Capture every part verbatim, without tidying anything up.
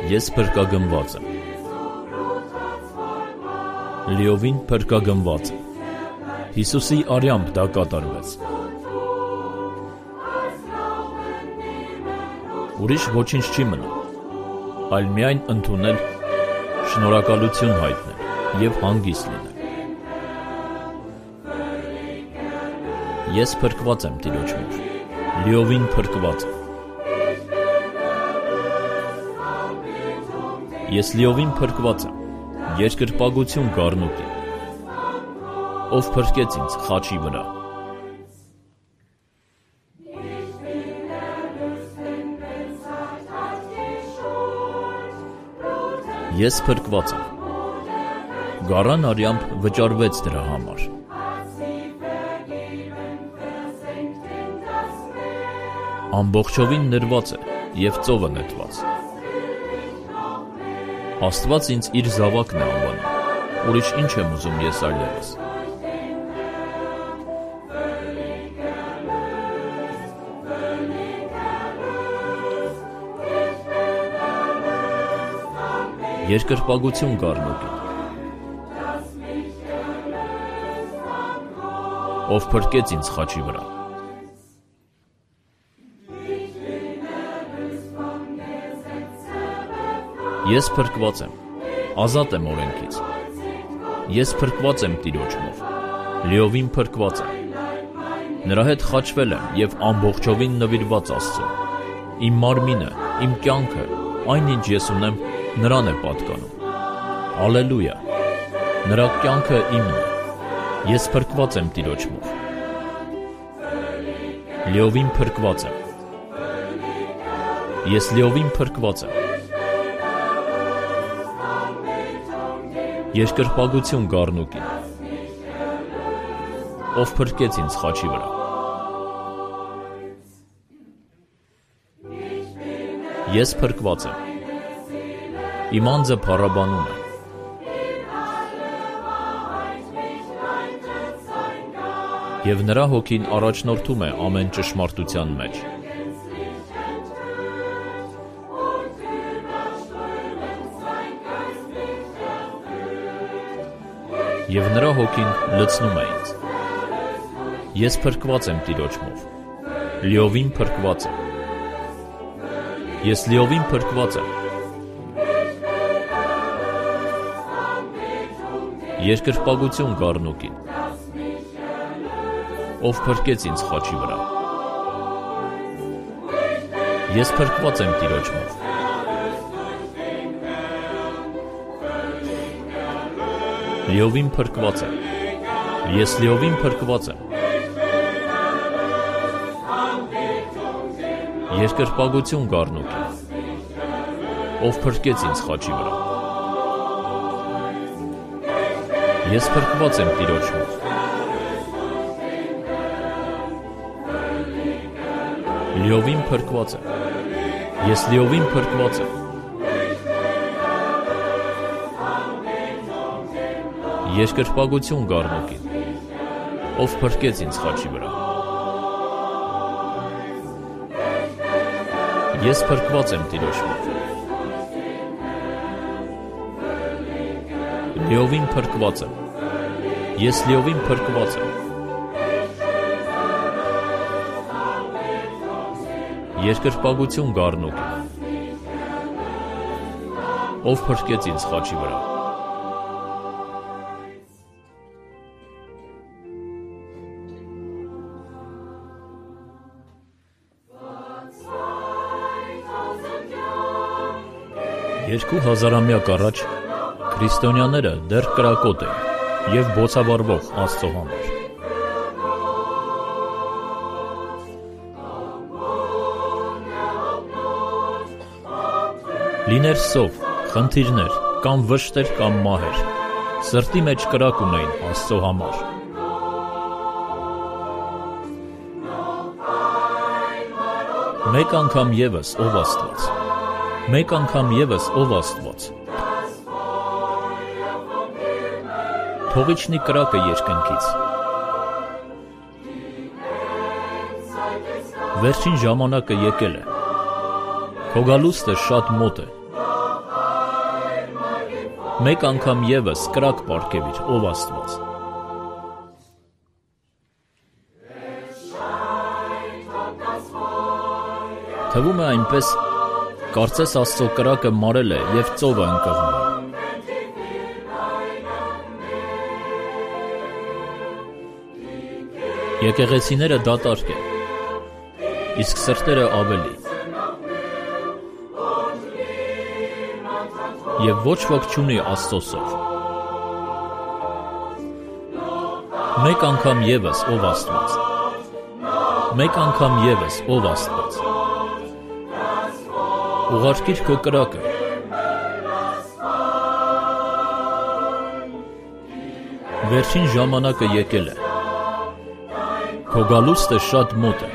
Ես փրկագնված եմ։ Լիովին փրկագնված եմ։ Հիսուսի արյամբ դա կատարվեց։ Ուրիշ ոչինչ չի մնում, այլ միայն ընդունել, շնորհակալություն հայտնել և հանգիստ լինել։ Ես փրկված եմ Տիրոջով, լիովին փրկված եմ։ Ես լիովին փրկված եմ, երկրպագություն գառնուկի, ով փրկեց ինձ խաչի վրա։ Ես փրկված եմ, գառան արյամբ վճարվեց դրա համար։ Ամբողջովին նրված է և ծովը նետված։ Աստված ինձ իր զավակն է անվանում, ուրիշ ինչ եմ ուզում ես այլևս։ Երկրպագություն գառնուկին, ով փրկեց ինձ խաչի վրա։ Ես փրկված եմ, ազատ եմ օրենքից։ Ես փրկված եմ Տիրոջով, լիովին փրկված եմ։ Նրա հետ խաչվել եմ և ամբողջովին նվիրված Աստծուն։ Իմ մարմինը, իմ կյանքը, այն ինչ ես ունեմ, նրան է պատկանում։ Ալելույա, նրա կյանքը իմն է։ Ես փրկված եմ Տիրոջով, լիովին փրկված եմ։ Ես լիովին փրկված եմ։ Երկրպագություն գառնուկին, ով փրկեց ինձ խաչի վրա։ Ես փրկված եմ, իմ անձը փառաբանում է։ Եվ նրա հոգին առաջնորդում է ամեն ճշմարտության մեջ։ Եվ նրա հոգին լցնում է ինձ։ Ես փրկված եմ Տիրոջով, լիովին փրկված եմ։ Ես լիովին փրկված եմ։ Երկրպագություն գառնուկին, ով փրկեց ինձ խաչի վրա։ Ես փրկված եմ Տիրոջով։ Լիովին փրկված եմ։ Ես լիովին փրկված եմ։ Երկրպագություն գառնուկին, ով փրկեց ինձ խաչի վրա։ Ես փրկված եմ Տիրոջով։ Լիովին փրկված եմ։ Ես լիովին փրկված եմ։ Երկրպագություն գառնուկին, ով փրկեց ինձ խաչի վրա։ Ես փրկված եմ Տիրոջով, լիովին փրկված եմ։ Ես լիովին փրկված եմ։ Երկրպագություն գառնուկին, ով փրկեց ինձ խաչի վրա։ Երկու հազարամյակ առաջ քրիստոնյաները դեռ կրակոտ էին և բոցավառվող Աստծո համար։ Լիներ սով, խնդիրներ, կամ վշտեր, կամ մահեր, սրտի մեջ կրակ ունեին Աստծո համար։ Մեկ անգամ ևս ով Աստված, մեկ անգամ ևս ով Աստված։ Թողիչնի կրակը երկնքից։ Վերջին ժամանակը եկել է։ Քո գալուստը շատ մոտ է։ Մեկ անգամ ևս կրակ պարգևիր, ով Աստված։ Թվում է այնպես, կարծես Աստծո կրակը մարել է և ծովը ընկղմել։ Եկեղեցիները դատարկ են, իսկ սրտերը ավելի։ Եվ ոչ ոք չունի Աստծո սով։ Մեկ անգամ ևս, ով Աստված։ Մեկ անգամ ևս, ով Աստված։ Ուղարկիր քո կրակը։ Վերջին ժամանակը եկել է։ Քո գալուստը շատ մոտ է։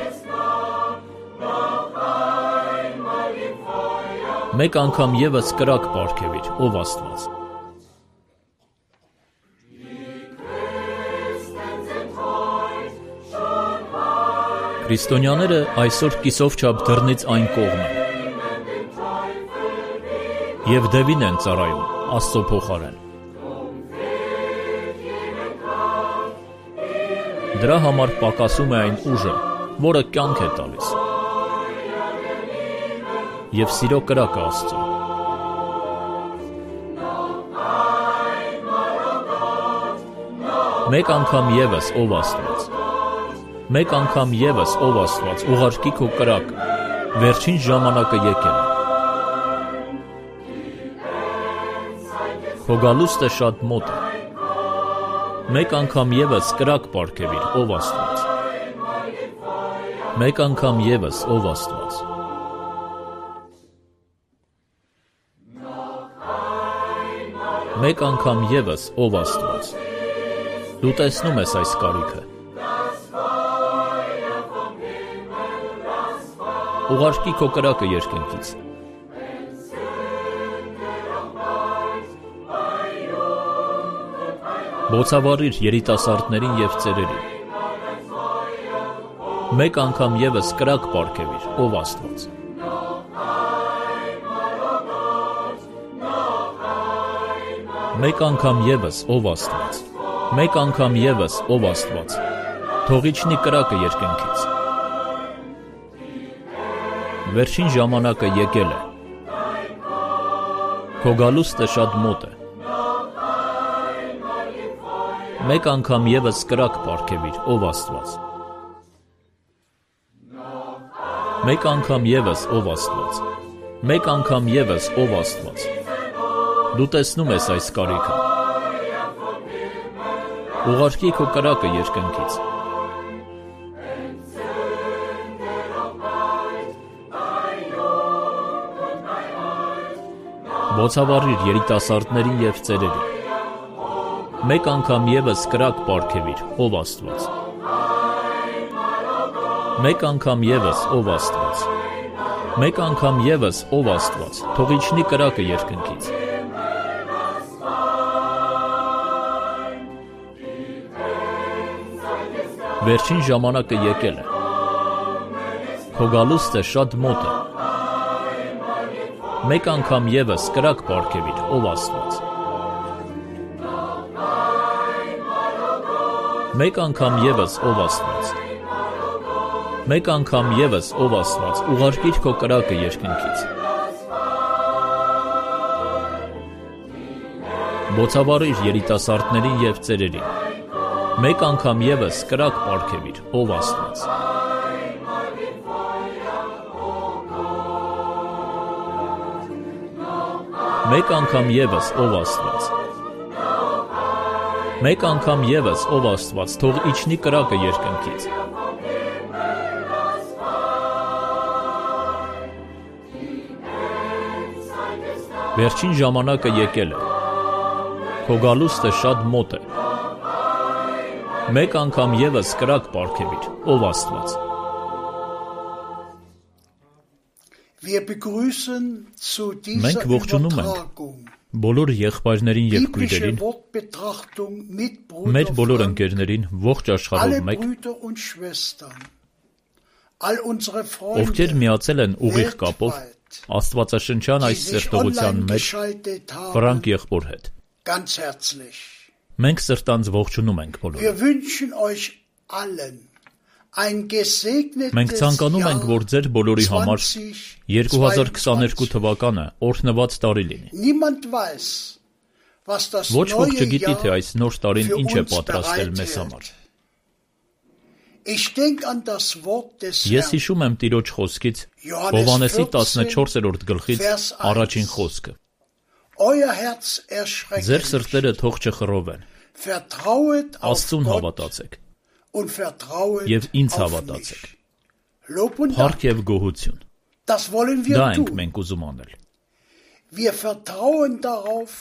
Մեկ անգամ ևս կրակ պարգևիր, ով Աստված։ Քրիստոնյաները այսօր կիսով չափ դռնից այն կողմ են և դևին են ծառայում Աստծո փոխարեն։ Դրա համար պակասում է այն ուժը, որը կյանք է տալիս, և սիրո կրակը Աստծո։ Մեկ անգամ ևս, ով Աստված, մեկ անգամ ևս, ով Աստված, ուղարկի քո կրակը, վերջին ժամանակը եկել է։ Քո գալուստը շատ մոտ է։ Մեկ անգամ ևս կրակ պարգևիր, ով Աստված։ Մեկ անգամ ևս, ով Աստված։ Մեկ անգամ ևս, ով Աստված։ Դու տեսնում ես այս կարիքը։ Ուղարկի քո կրակը երկնքից։ Բոցավառիր երիտասարդներին և ծերերին։ Մեկ անգամ ևս կրակ պարգևիր, ով Աստված։ Մեկ անգամ ևս, ով Աստված։ Մեկ անգամ ևս, ով Աստված։ Թող իջնի կրակը երկնքից։ Վերջին ժամանակը եկել է։ Քո գալուստը շատ մոտ է։ Մեկ անգամ ևս կրակ պարգևիր, ով Աստված։ Մեկ անգամ ևս, ով Աստված։ Մեկ անգամ ևս, ով Աստված։ Դու տեսնում ես այս կարիքը։ Ուղարկի քո կրակը երկնքից։ Բոցավառիր երիտասարդներին և ծերերին։ Մեկ անգամ ևս կրակ պարգևիր, ով Աստված։ Մեկ անգամ ևս, ով Աստված։ Մեկ անգամ ևս, ով Աստված, թող իջնի կրակը երկնքից։ Վերջին ժամանակը եկել է։ Քո գալուստը շատ մոտ է։ Մեկ անգամ ևս կրակ պարգևիր, ով Աստված։ Մեկ անգամ ևս, ով Աստված։ Մեկ անգամ ևս, ով Աստված, ուղարկիր քո կրակը երկնքից։ Բոցավառիր երիտասարդներին և ծերերին։ Մեկ անգամ ևս կրակ պարգևիր, ով Աստված։ Մեկ անգամ ևս, ով Աստված։ Մեկ անգամ ևս, ով Աստված, թող իջնի կրակը երկնքից։ Վերջին ժամանակը եկել է։ Քո գալուստը շատ մոտ է։ Մեկ անգամ ևս կրակ պարգևիր, ով Աստված։ Մենք ողջունում ենք բոլոր եղբայրներին և քույրերին, մեր բոլոր ընկերներին ողջ աշխարհով մեկ, ովքեր միացել են ուղիղ կապով աստվածաշնչյան այս սերտողության մեջ Ֆրանկ եղբոր հետ։ ganz herzlich. Մենք սրտանց ողջունում ենք Wir բոլորին։ wünschen euch allen ein gesegnetes Մենք ցանկանում ենք, որ ձեր բոլորի համար երկու հազար քսաներկու թվականը օրհնված տարի լինի։ Niemand weiß, was das Ոչ ոք neue չգիտի, թե Jahr այս նոր տարին für ինչ է uns պատրաստել մեզ համար։ bereithält. Ich denke an das Wort des Ես Herrn. հիշում եմ Տիրոջ խոսքից Հովհաննեսի տասնչորսերորդ գլխից առաջին խոսքը։ Euer Herz Ձեր erschreckt սրտերը nicht. թող չխռովեն, Vertrauet auf Աստծուն Gott հավատացեք und vertrauet եւ ինձ auf հավատացեք։ mich. Lob und Dank. Փառք եւ գոհություն։ Das wollen Դա wir ենք tun. մենք ուզում անել։ Wir vertrauen darauf,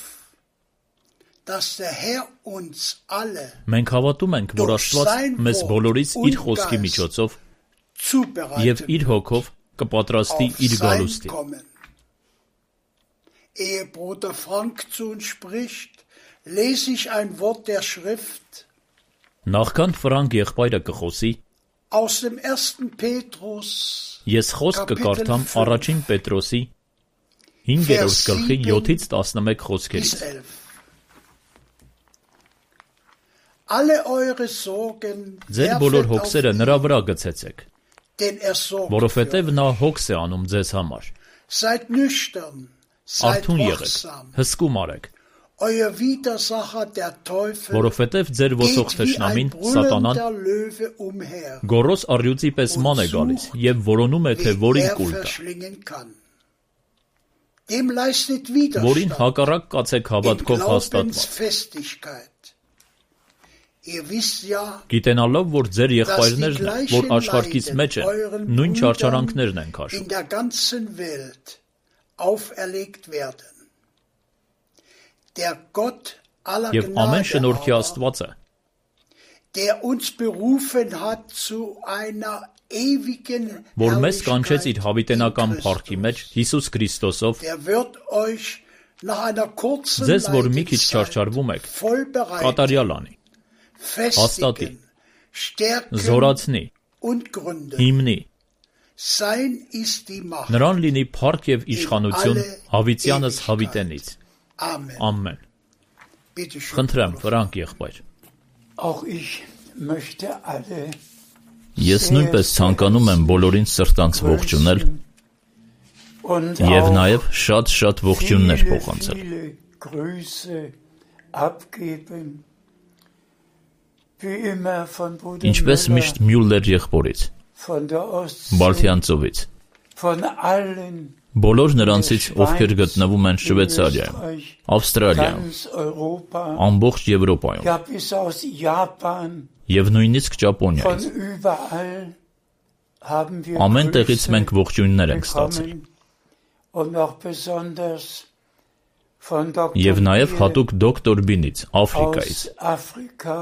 dass der Herr uns alle Մենք հավատում ենք, որ Աստված մեզ բոլորից իր խոսքի միջոցով եւ zubereiten իր հոգով կպատրաստի auf իր sein գալուստին։ Kommen. Ehe Bruder Frank zu uns spricht, lese ich ein Wort der Schrift Նախքան Ֆրանկ եղբայրը կխոսի, aus dem ersten Petrus, ես խոսք կկարդամ առաջին Պետրոսի հինգերորդ գլխի յոթից տասնմեկ bis խոսքերից։ elf. Alle eure Sorgen Ձեր բոլոր werfet auf հոգսերը ihn, նրա վրա գցեցեք, denn er sorgt für որովհետև euch. նա հոգս է անում ձեզ համար։ Seid nüchtern, seid Արթուն եղեք, wachsam. հսկում արեք, Euer Widersacher der Teufel որովհետև ձեր ոսող geht wie ein թշնամին Սատանան brüllender Löwe umher, գորոս առյուծի պես ման է gալիս եւ որոնում է, թե wen որին er կուլ տա, verschlingen kann. Dem leistet որին Widerstand հակառակ կացեք in հավատքով հաստատված, Glaubensfestigkeit. Ihr wisst ja, գիտենալով, որ ձեր dass die եղբայրներն են, որ gleichen աշխարհքից մեջ Leiden են, euren նույն Brüdern չարչարանքներն են քաշում։ in der ganzen Welt auferlegt werden. Der Gott aller Եվ ամեն Gnade շնորհքի aber, Աստվածը, der uns berufen hat zu einer ewigen որ մեզ կանչեց իր Herrlichkeit հավիտենական in փառքի մեջ Christus, Հիսուս Քրիստոսով, der wird euch nach einer kurzen ձեզ, որ մի քիչ Leidenszeit չարչարվում եք, voll bereiten, կատարյալ անի, festigen, stärken զորացնի, und gründen. հիմնի, Sein ist die Macht. նրան լինի փառք եւ իշխանություն հավիտյանս հավիտենից։ Amen. Ամեն։ Bitte schön. Խնդրեմ, Ֆրանկ եղբայր։ Auch ich möchte alle Ես նույնպես ցանկանում եմ բոլորին սրտանց ողջունել und եւ auch նաեւ շատ-շատ ողջույններ viele, փոխանցել։ viele Grüße abgeben. Wie immer von Bruder Ինչպես Müller, միշտ Մյուլլեր եղբորից, von der Ostsee, Բալթյան ծովից, von allen բոլոր նրանցից, ովքեր գտնվում են in Շվեյցարիայում, Österreich, Ավստրալիայում, ganz Europa, ամբողջ Եվրոպայում ja bis aus Japan, եւ նույնիսկ von Ճապոնիայից։ überall haben wir Ամեն տեղից Grüße մենք ողջույններ ենք ստացել։ bekommen und auch besonders von Եվ Doktor նաեւ Biel հատուկ դոկտոր Բինից, Աֆրիկայից, aus Afrika,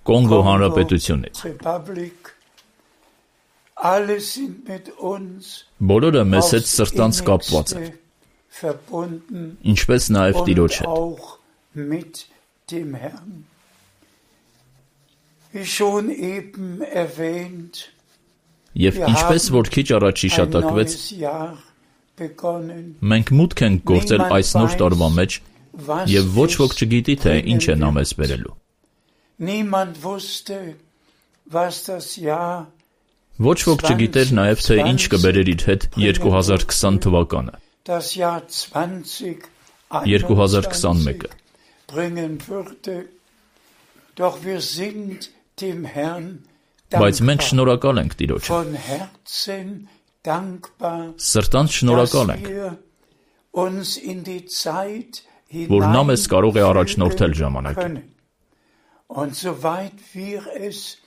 Կոնգո Kongo, Հանրապետությունից։ Republik. Alle sind mit uns Բոլորը մեզ հետ aufs սրտանց կապված են, innigste verbunden ինչպես նաեւ Տիրոջ und հետ։ auch mit dem Herrn. Wie schon eben erwähnt, Եվ ինչպես որ քիչ առաջ ein հիշատակվեց, neues Jahr begonnen. մենք մուտք ենք գործել այս նոր տարվա մեջ Was եւ ոչ ոք es չգիտի, թե ինչ է նա bringen մեզ wird. բերելու։ Niemand wusste, was das Jahr Ոչ ոք չգիտեր նաեւ, թե ինչ կբերեր իր հետ երկու հազար քսան թվականը, das Jahr zwanzig երկու հազար քսանմեկը։ bringen würde. Doch wir sind dem Herrn Բայց մենք dankbar, շնորհակալ ենք Տիրոջը, von Herzen dankbar, սրտանց dass շնորհակալ ենք, wir uns in die Zeit որ նա մեզ կարող է առաջնորդել hineinfügen ժամանակին։ können. Und soweit wir es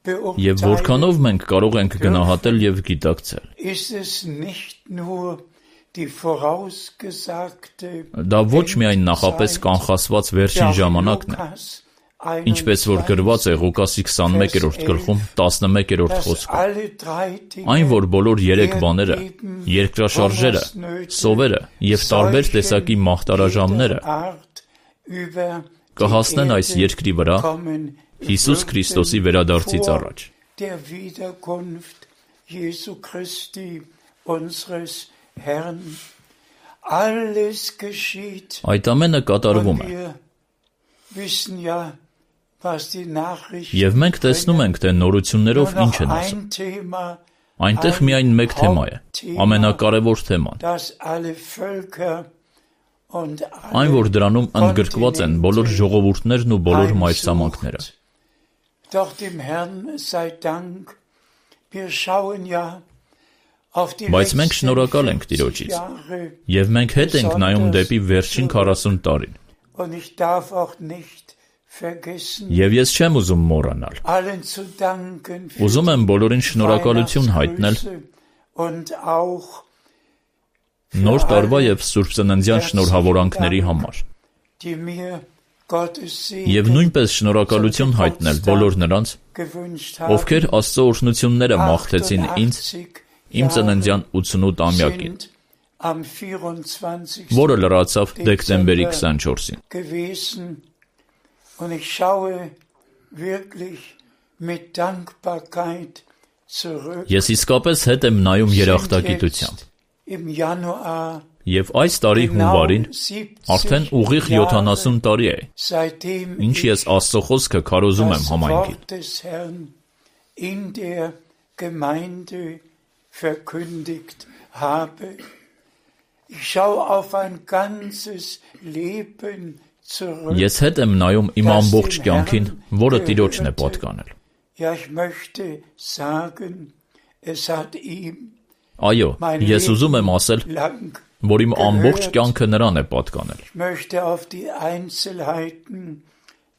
Եվ որքանով beurteilen, մենք կարող ենք գնահատել եւ գիտակցել։ ist es nicht nur die vorausgesagte Դա ոչ միայն նախապես կանխասված վերջին ժամանակն է, ինչպես որ գրված է Ղուկասի քսանմեկերորդ գլխում տասնմեկերորդ խոսքում։ Այն, որ բոլոր երեք բաները, երկրաշարժերը, սովերը եւ տարբեր տեսակի մահտարաժամները կհասնեն այս երկրի վրա Հիսուս Քրիստոսի վերադարձից առաջ։ der Wiederkunft Jesu Christi, unseres Herrn. Alles geschieht Այդ ամենը կատարվում und է, wir wissen ja, was die Nachrichten Եվ մենք տեսնում ենք, թե նորություններով ինչ են ասում։ ein Thema, Այնտեղ միայն մեկ թեմա է, ամենակարևոր թեման, das alle Völker und այն, որ դրանում ընդգրկված են բոլոր ժողովուրդներն ու բոլոր մայրցամաքները։ Doch dem Herrn sei Dank, wir schauen ja auf die Բայց մենք շնորհակալ ենք Տիրոջից, եւ մենք հետ ենք նայում դեպի վերջին քառասուն տարին։ Und ich darf auch nicht vergessen, Եվ ես չեմ ուզում մոռանալ։ allen zu danken für Ուզում եմ բոլորին շնորհակալություն հայտնել und auch նոր տարվա եւ Սուրբ Ծննդյան շնորհավորանքների համար։ die mir Gottes Եվ Segen նույնպես շնորհակալություն հայտնել բոլոր նրանց, gewünscht haben, ովքեր Աստծո օրհնությունները մաղթեցին ինձ իմ ծննդյան ութսունութ-ամյակին, sind am vierundzwanzigsten որը լրացավ դեկտեմբերի քսանչորսին։ gewesen und ich schaue wirklich mit Dankbarkeit zurück. Ես իսկապես հետ եմ նայում երախտագիտությամբ։ Im Januar Եվ այս տարի հունվարին արդեն ուղիղ յոթանասուն տարի է, seitdem ինչ ես Աստծո խոսքը քարոզում եմ das համայնքին։ Wort des Herrn in der Gemeinde verkündigt habe. Ich schaue auf ein ganzes Leben zurück. Ես հետ եմ նայում իմ ամբողջ կյանքին, որը Տիրոջն է պատկանել։ Ja, ich möchte sagen, es hat ihm Այո, ես ուզում եմ ասել, lang. որ իմ ամբողջ կյանքը նրան է պատկանել։ Ich möchte auf die Einzelheiten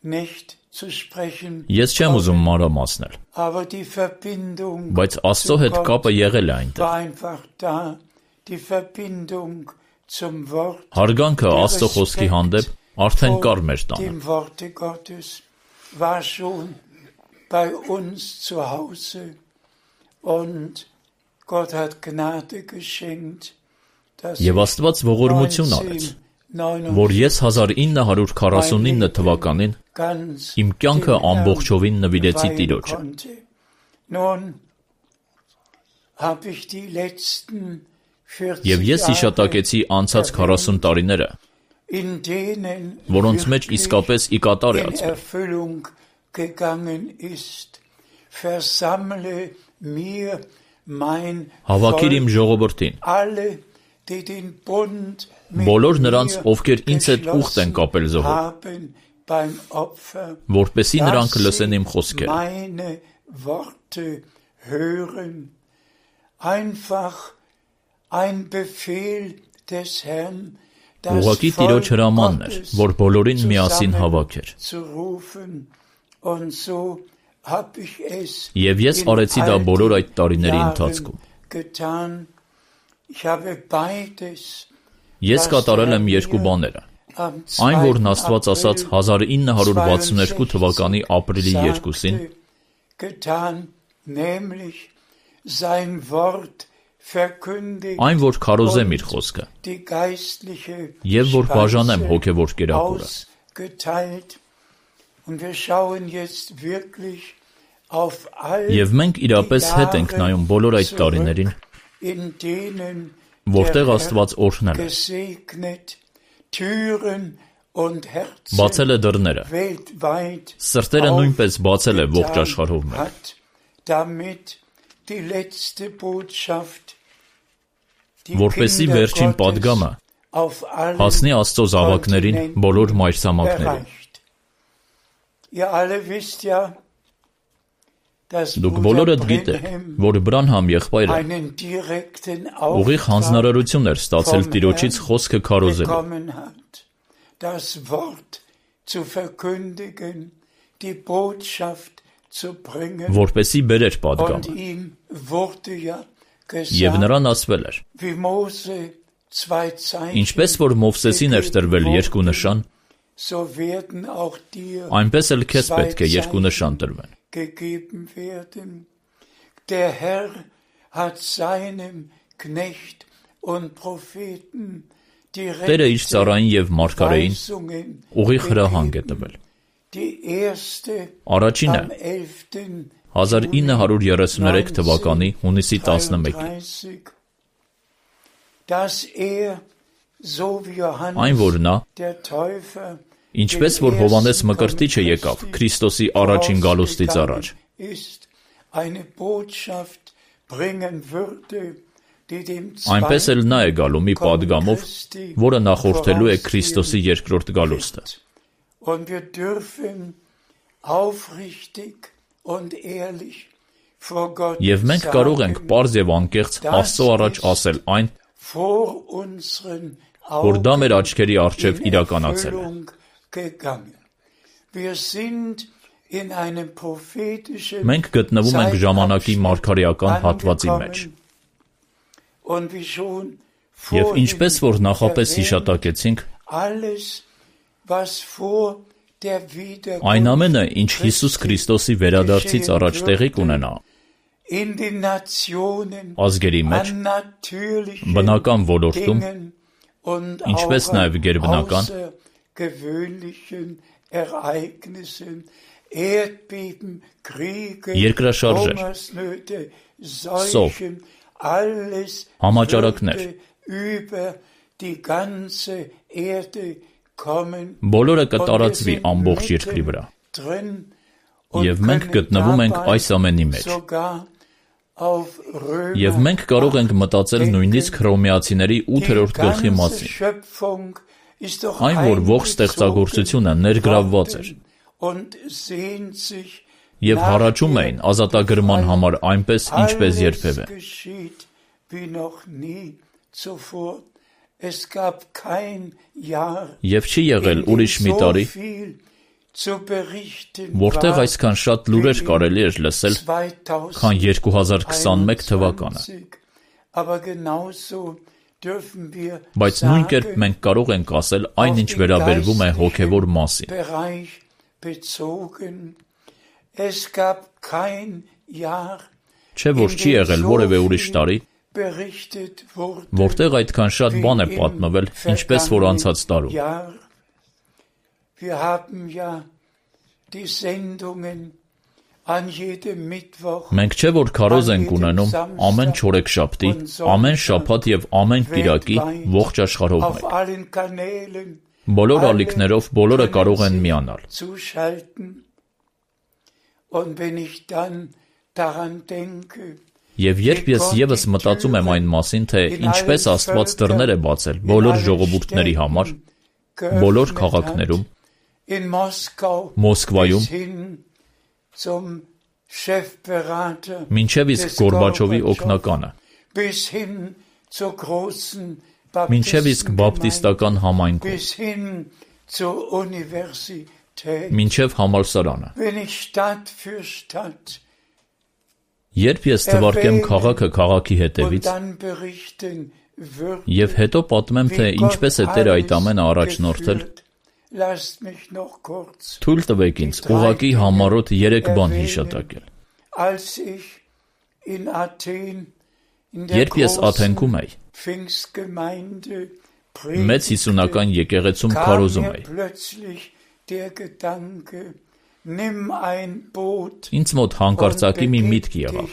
nicht zu sprechen, Ես չեմ ուզում մանրամասնել, aber die Verbindung բայց Աստծո հետ կապը եղել է այնտեղ։ war einfach da. Die Verbindung zum Wort, Հարգանքը Աստծո խոսքի հանդեպ արդեն կար մեր տանը։ dem Worte Gottes, war schon bei uns zu Hause. Und Gott hat Gnade geschenkt, dass Եվ Աստված ողորմություն արեց, որ ես հազար ինը հարյուր քառասունինը թվականին ganz իմ կյանքը dem Herrn ամբողջովին նվիրեցի weihen Տիրոջը։ konnte. Nun habe ich die letzten Եվ ես vierzig հիշատակեցի անցած քառասուն տարիները, in denen որոնց մեջ իսկապես ի կատար է in ածվել։ Erfüllung gegangen ist. Versammle mir mein Հավաքիր իմ Volk, ժողովրդին, alle, die den Bund mit բոլոր նրանց, mir ովքեր ինձ հետ ուխտ են կապել զոհով, haben beim Opfer, որպեսզի նրանք dass լսեն sie իմ խոսքերը։ meine Worte hören. Einfach ein Befehl des Herrn, das Ուղղակի Volk Տիրոջ հրամանն էր, Gottes որ բոլորին միասին հավաքեր։ zu rufen. Und so hab ich es Եվ ես in արեցի դա all բոլոր den այդ տարիների Jahren ընթացքում։ getan. Ich habe beides Ես կատարել եմ երկու բաները։ am Այն, որն zweiten Աստված ասաց April հազար ինը հարյուր վաթսունութ թվականի ապրիլի երկուսին, sagte, getan, nämlich sein Wort verkündigt այն, որ քարոզեմ իր խոսքը, die geistliche եւ որ բաժանեմ Speise հոգեվոր կերակուրը։ ausgeteilt. Und wir schauen jetzt wirklich auf all Եվ մենք իրապես հետ ենք նայում բոլոր այդ տարիներին, in denen որտեղ der Աստված Herr օրհնել է, gesegnet Türen und Herzen բացել է դռները, weltweit սրտերը նույնպես բացել է ողջ աշխարհով մեր, hat, damit die letzte Botschaft, die որպեսզի Kinder վերջին Gottes պատգամը auf allen հասնի Աստծո զավակներին բոլոր մայրցամաքներին։ erreicht. Ihr alle wisst ja, dass Դուք Bruder բոլորդ գիտեք, Brenhem որ Բրանհամ եղբայրը einen direkten ուղիղ Auftrag հանձնարարություն էր ստացել Տիրոջից խոսքը քարոզելու, bekommen hat, das Wort zu verkündigen, die Botschaft zu bringen. որպեսզի բերեր Und պատգամը։ ihm wurde ja Եվ gesagt, նրան ասվել էր, wie Mose zwei Zeichen, ինչպես որ Մովսեսին էր տրվել երկու նշան, so werden auch dir այնպես էլ քեզ zwei պետք է երկու նշան Zeichen տրվեն։ gegeben werden. Der Herr hat seinem Knecht und Propheten Տերը իր ծառային եւ մարգարեին Weisungen ուղիղ հրահանգ է gegeben. տվել։ Die erste Առաջինը am elften հազար ինը հարյուր երեսունութ թվականի հունիսի տասնմեկին, dreiunddreißig, dass er, so wie այն որ Johannes նա der Täufer Ինչպես որ Հովհաննես Մկրտիչը եկավ Քրիստոսի առաջին գալուստից առաջ, այնպես էլ նա է գալու մի պատգամով, որը նախորդելու է Քրիստոսի երկրորդ գալուստը։ Եվ մենք կարող ենք պարզ և անկեղծ Աստծո առաջ ասել այն, որ դա մեր աչքերի առջև իրականացել է։ Մենք գտնվում ենք ժամանակի մարգարեական հատվածի մեջ։ Եվ ինչպես որ նախապես հիշատակեցինք, այն ամենը, ինչ Հիսուս Քրիստոսի վերադարձից առաջ տեղի կունենա ազգերի մեջ, բնական ոլորտում, ինչպես նաև գերբնական, երկրաշարժեր, սով, համաճարակներ, բոլորը կտարածվի ամբողջ երկրի վրա։ Եվ մենք գտնվում ենք այս ամենի մեջ։ Եվ մենք կարող ենք մտածել նույնիսկ Հռոմեացիների ութերորդ գլխի մասին, այն, որ ողջ ստեղծագործությունը ներգրավված էր, և հառաչում էին ազատագրման համար այնպես, ինչպես երբևէ։ Եվ չի եղել ուրիշ մի տարի, որտեղ այսքան շատ լուրեր կարելի էր լսել, քան երկու հազար քսանմեկ թվականը։ Բայց նույն կերպ մենք կարող ենք ասել այն, ինչ վերաբերվում է հոգևոր մասին։ Չէ՞ որ չի եղել որևէ ուրիշ տարի, որտեղ այդքան շատ բան է պատմվել, ինչպես որ անցած տարում։ Մենք չէ՞ որ քարոզ ենք ունենում ամեն չորեքշաբթի, ամեն շաբաթ և ամեն կիրակի ողջ աշխարհով մեկ։ Բոլոր ալիքներով բոլորը կարող են միանալ։ Եվ երբ ես ևս մտածում եմ այն մասին, թե ինչպես Աստված դռներ է բացել բոլոր ժողովուրդների համար, բոլոր քաղաքներում, Մոսկվայում, մինչև իսկ Գորբաչովի օգնականը, մինչև իսկ բապտիստական համայնքում, մինչև համալսարանը։ Երբ ես թվարկեմ քաղաքը քաղաքի հետևից և հետո պատմեմ, թե ինչպես է Տերը այդ ամենը առաջնորդել, թույլ տվեք ինձ ուղղակի համառոտ երեք բան հիշատակել։ Երբ ես Աթենքում էի, մեծ հիսունական եկեղեցում քարոզում էի, ինձ մոտ հանկարծակի մի միտք եղավ.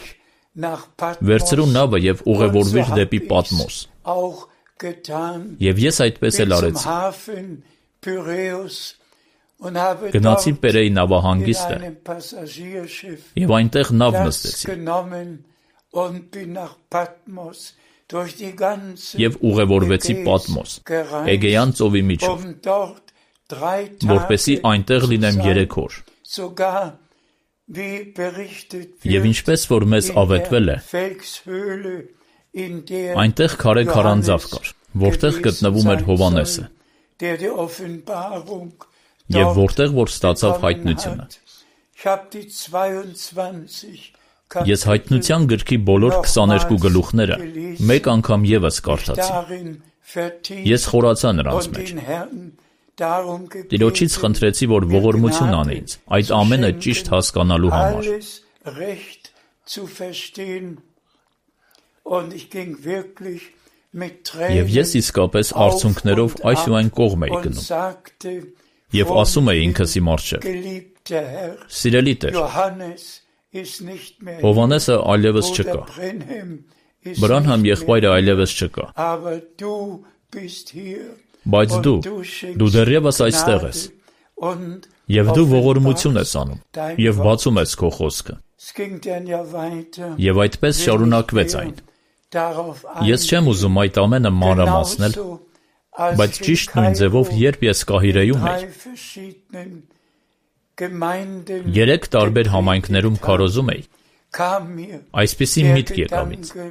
վերցրու նավը և ուղևորվիր դեպի Պատմոս։ Եվ ես այդպես էլ արեցի։ Գնացի Պերեի նավահանգիստը և այնտեղ նավ նստեցի և ուղևորվեցի Պատմոս, Էգեյան ծովի միջով, որպեսզի այնտեղ լինեմ երեք օր։ Եվ ինչպես որ մեզ ավետվել է, այնտեղ քարե քարանձավ կար, որտեղ գտնվում էր Հովհաննեսը, և որտեղ որ ստացավ հայտնությունը։ Ես հայտնության գրքի բոլոր քսաներկու գլուխները մեկ անգամ ևս կարդացի։ Ես խորացա նրանց մեջ։ Տիրոջից խնդրեցի, որ ողորմություն անի ինձ այդ ամենը ճիշտ հասկանալու համար։ Եվ ես իսկապես արցունքներով այս ու այն կողմ էի գնում և ասում էի ինքս իմ առջև. «Սիրելի Տեր, Հովհաննեսը այլևս չկա, Բրանհամ եղբայրը այլևս չկա, բայց դու, դու դեռևս այստեղ ես, und Եվ դու ողորմություն ես անում, և բացում ես քո խոսքը։ es ging dann ja weiter. Եվ այդպես շարունակվեց այն։ Darauf Ես չեմ ուզում այդ ամենը մանրամասնել, genauso, als բայց ich in ճիշտ նույն ձևով, Kairo երբ ես Կահիրեում էի, drei verschiedenen Gemeinden երեք տարբեր համայնքներում քարոզում էի, kam mir այսպիսի der միտք եկավ ինձ. Gedanke,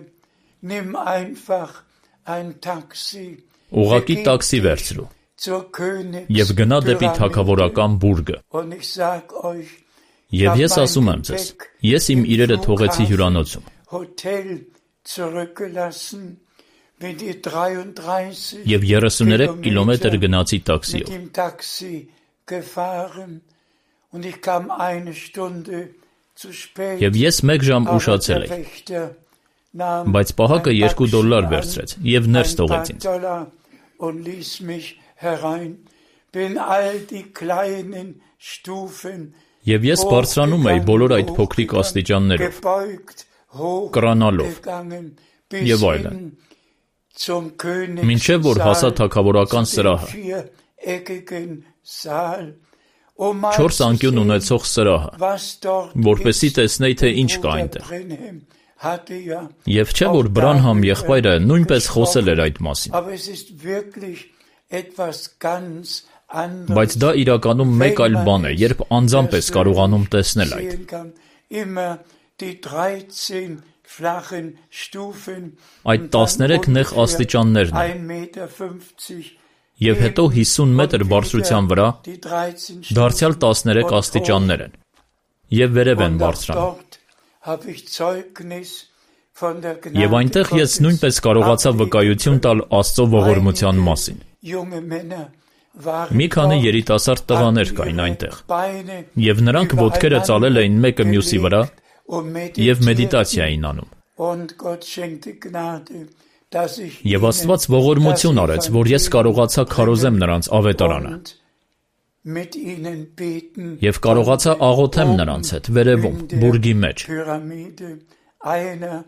nimm einfach ein Taxi, ուղղակի տաքսի վերցրու zur Königs և գնա դեպի Pyramide. թագավորական բուրգը։ Und ich sag euch, Եվ ես ասում եմ ձեզ, ես իմ իրերը թողեցի հյուրանոցում Hotel zurückgelassen, bin die dreiunddreißig և երեսուներեք կիլոմետր գնացի mit տաքսիով։ dem Taxi gefahren und ich kam eine Stunde zu spät. Եվ ես մեկ ժամ Aber ուշացել der էի, Wächter nahm բայց պահակը ein երկու Backstein դոլար վերցրեց և ներս ein թողեց paar ինձ։ Dollar und ließ mich herein. Bin all die kleinen Stufen Եվ ես բարձրանում էի բոլոր այդ փոքրիկ աստիճաններով, gebeugt, կրանալով hochgegangen, և bis այլն, hin zum մինչև որ հասա Königssaal, թագավորական zu dem սրահը, viereckigen Saal. Um mal չորս zu անկյուն sehen, ունեցող սրահը, was dort որպեսզի ist. տեսնեի, թե ինչ կա Bruder այնտեղ։ Brenhem hatte ja Եվ չէ որ Բրանհամ եղբայրը նույնպես խոսել էր այդ մասին, Aber es ist wirklich etwas ganz anderes. բայց դա իրականում մեկ այլ բան է, երբ անձամբ ես կարողանում տեսնել այդ։ sehen kann. Immer die dreizehn flachen Stufen Այդ und dann տասներեք նեղ ungefähr աստիճաններն են, ein Meter fünfzig և հետո հիսուն մետր բարձրության վրա die dreizehn դարձյալ Stufen տասներեք und աստիճաններ են, և վերև են Und auch բարձրանում։ dort habe ich Zeugnis von der Եվ Gnade այնտեղ ես Gottes նույնպես կարողացա վկայություն տալ Աստծո ողորմության մասին։ junge Männer waren Մի քանի dort, երիտասարդ տղաներ hatten կային ihre այնտեղ, Beine և նրանք ոտքերը ծալել էին մեկը մյուսի վրա und և meditierten. մեդիտացիա էին անում։ Und Gott schenkte Gnade, dass ich Եվ ihnen Աստված ողորմություն das արեց, որ ես կարողացա քարոզեմ նրանց ավետարանը, und mit ihnen beten և կարողացա աղոթեմ նրանց հետ վերևում, in der բուրգի մեջ։ Pyramide. Einer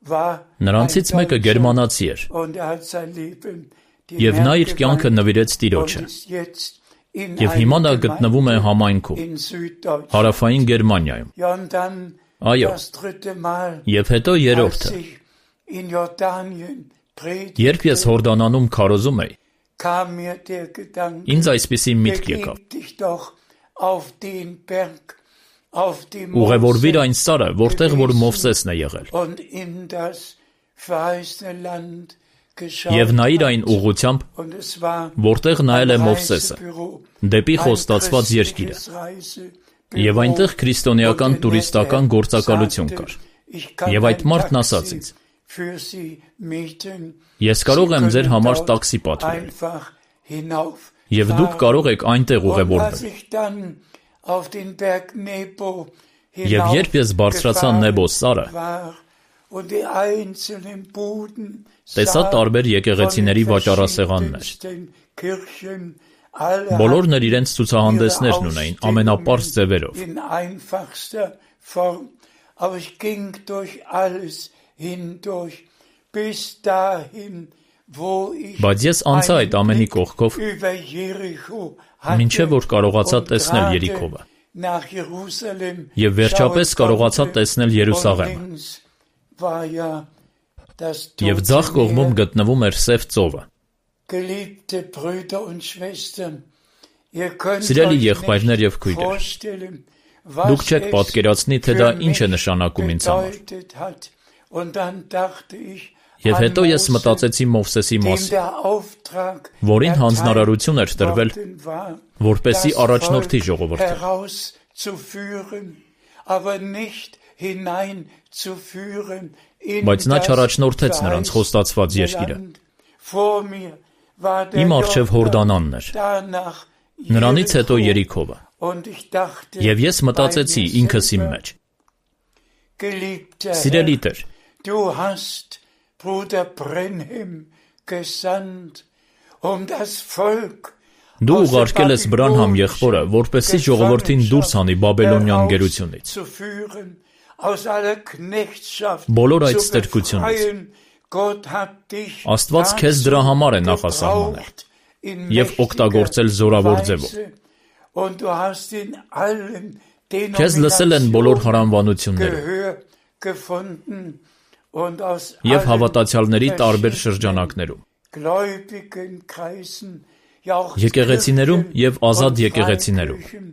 war Նրանցից ein մեկը Deutscher գերմանացի էր, und er hat sein Leben dem և նա Herrn իր կյանքը geweiht նվիրեց und Տիրոջը, ist jetzt in և հիմա նա einer գտնվում է Gemeinde համայնքում, in Süddeutschland. հարավային Գերմանիայում։ Ja, und dann Այո, das dritte Mal, և հետո als երրորդը, ich in Jordanien երբ predigte, ես Հորդանանում քարոզում էի, kam mir der Gedanke, ինձ այսպիսի միտք եկավ. begib dich doch auf den Berg, auf dem Ուղևորվիր Mose այն սարը, որտեղ որ Մովսեսն է եղել, und in das verheißene Land geschaut. և նայիր այն ուղղությամբ, Und es war որտեղ նայել է ein Մովսեսը, Reisebüro, դեպի ein խոստացված երկիրը, christliches Reisebüro. և այնտեղ քրիստոնեական Und der տուրիստական nette գործակալություն sagte, կար։ ich kann Եվ այդ ein մարդն Taxi ասաց ինձ. für Sie mieten. Ես կարող եմ ձեր Sie համար können տաքսի dort պատվիրել, einfach hinauf և դուք fahren. կարող եք այնտեղ Und als ուղևորվել։ ich dann auf den Berg Nebo Եվ երբ ես բարձրացա Նեբո սարը, war und die einzelnen Buden տեսա sah տարբեր von եկեղեցիների den վաճառասեղաններ։ verschiedensten Kirchen, alle Բոլորն hatten իրենց ցուցահանդեսներն ունեին ամենապարզ ձևերով, in einfachster Form. Aber ich ging durch alles hindurch, bis dahin, wo ich բայց ես անցա այդ ամենի կողքով, über Jericho մինչև որ կարողացա und տեսնել gerade Երիքովը, nach Jerusalem և վերջապես schauen կարողացա konnte. տեսնել Und Երուսաղեմը, links war ja das և Tote ձախ կողմում Meer. գտնվում էր Սև ծովը։ Geliebte Brüder und Schwestern, ihr könnt Սիրելի euch եղբայրներ և nicht քույրեր, vorstellen, դուք was չեք es պատկերացնի, թե դա für ինչ է mich նշանակում ինձ համար։ bedeutet hat. Und dann dachte ich Եվ an հետո ես Mose, մտածեցի Մովսեսի dem մասին, der Auftrag որին erteilt հանձնարարություն էր տրվել, worden war, որպեսզի das առաջնորդի Volk ժողովրդը, herauszuführen, aber nicht hineinzuführen in բայց նա das չառաջնորդեց նրանց խոստացված verheißene երկիրը։ Land. Vor mir war der Իմ առջև Հորդանանն էր, danach նրանից հետո Jericho. Երիքովը, Und ich dachte և ես մտածեցի bei mir ինքս իմ selber, մեջ. Geliebter Սիրելի Herr, Տեր, du hast Bruder Brenhem gesandt, um das Volk դու aus der ուղարկել ես Բրանհամ եղբորը, որպեսզի ժողովրդին դուրս հանի Բաբելոնյան գերությունից, herauszuführen, aus aller Knechtschaft բոլոր այդ zu ստրկությունից։ befreien. Gott hat dich Աստված քեզ դրա համար է նախասահմանել gebraucht in և օգտագործել զորավոր mächtiger ձևով։ Weise. Und du hast in allen Քեզ լսել են բոլոր հարանվանությունները Gehör gefunden und aus և allen հավատացյալների տարբեր շրջանակներում, gläubigen Kreisen, ja auch եկեղեցիներում և ազատ und եկեղեցիներում, Freikirchen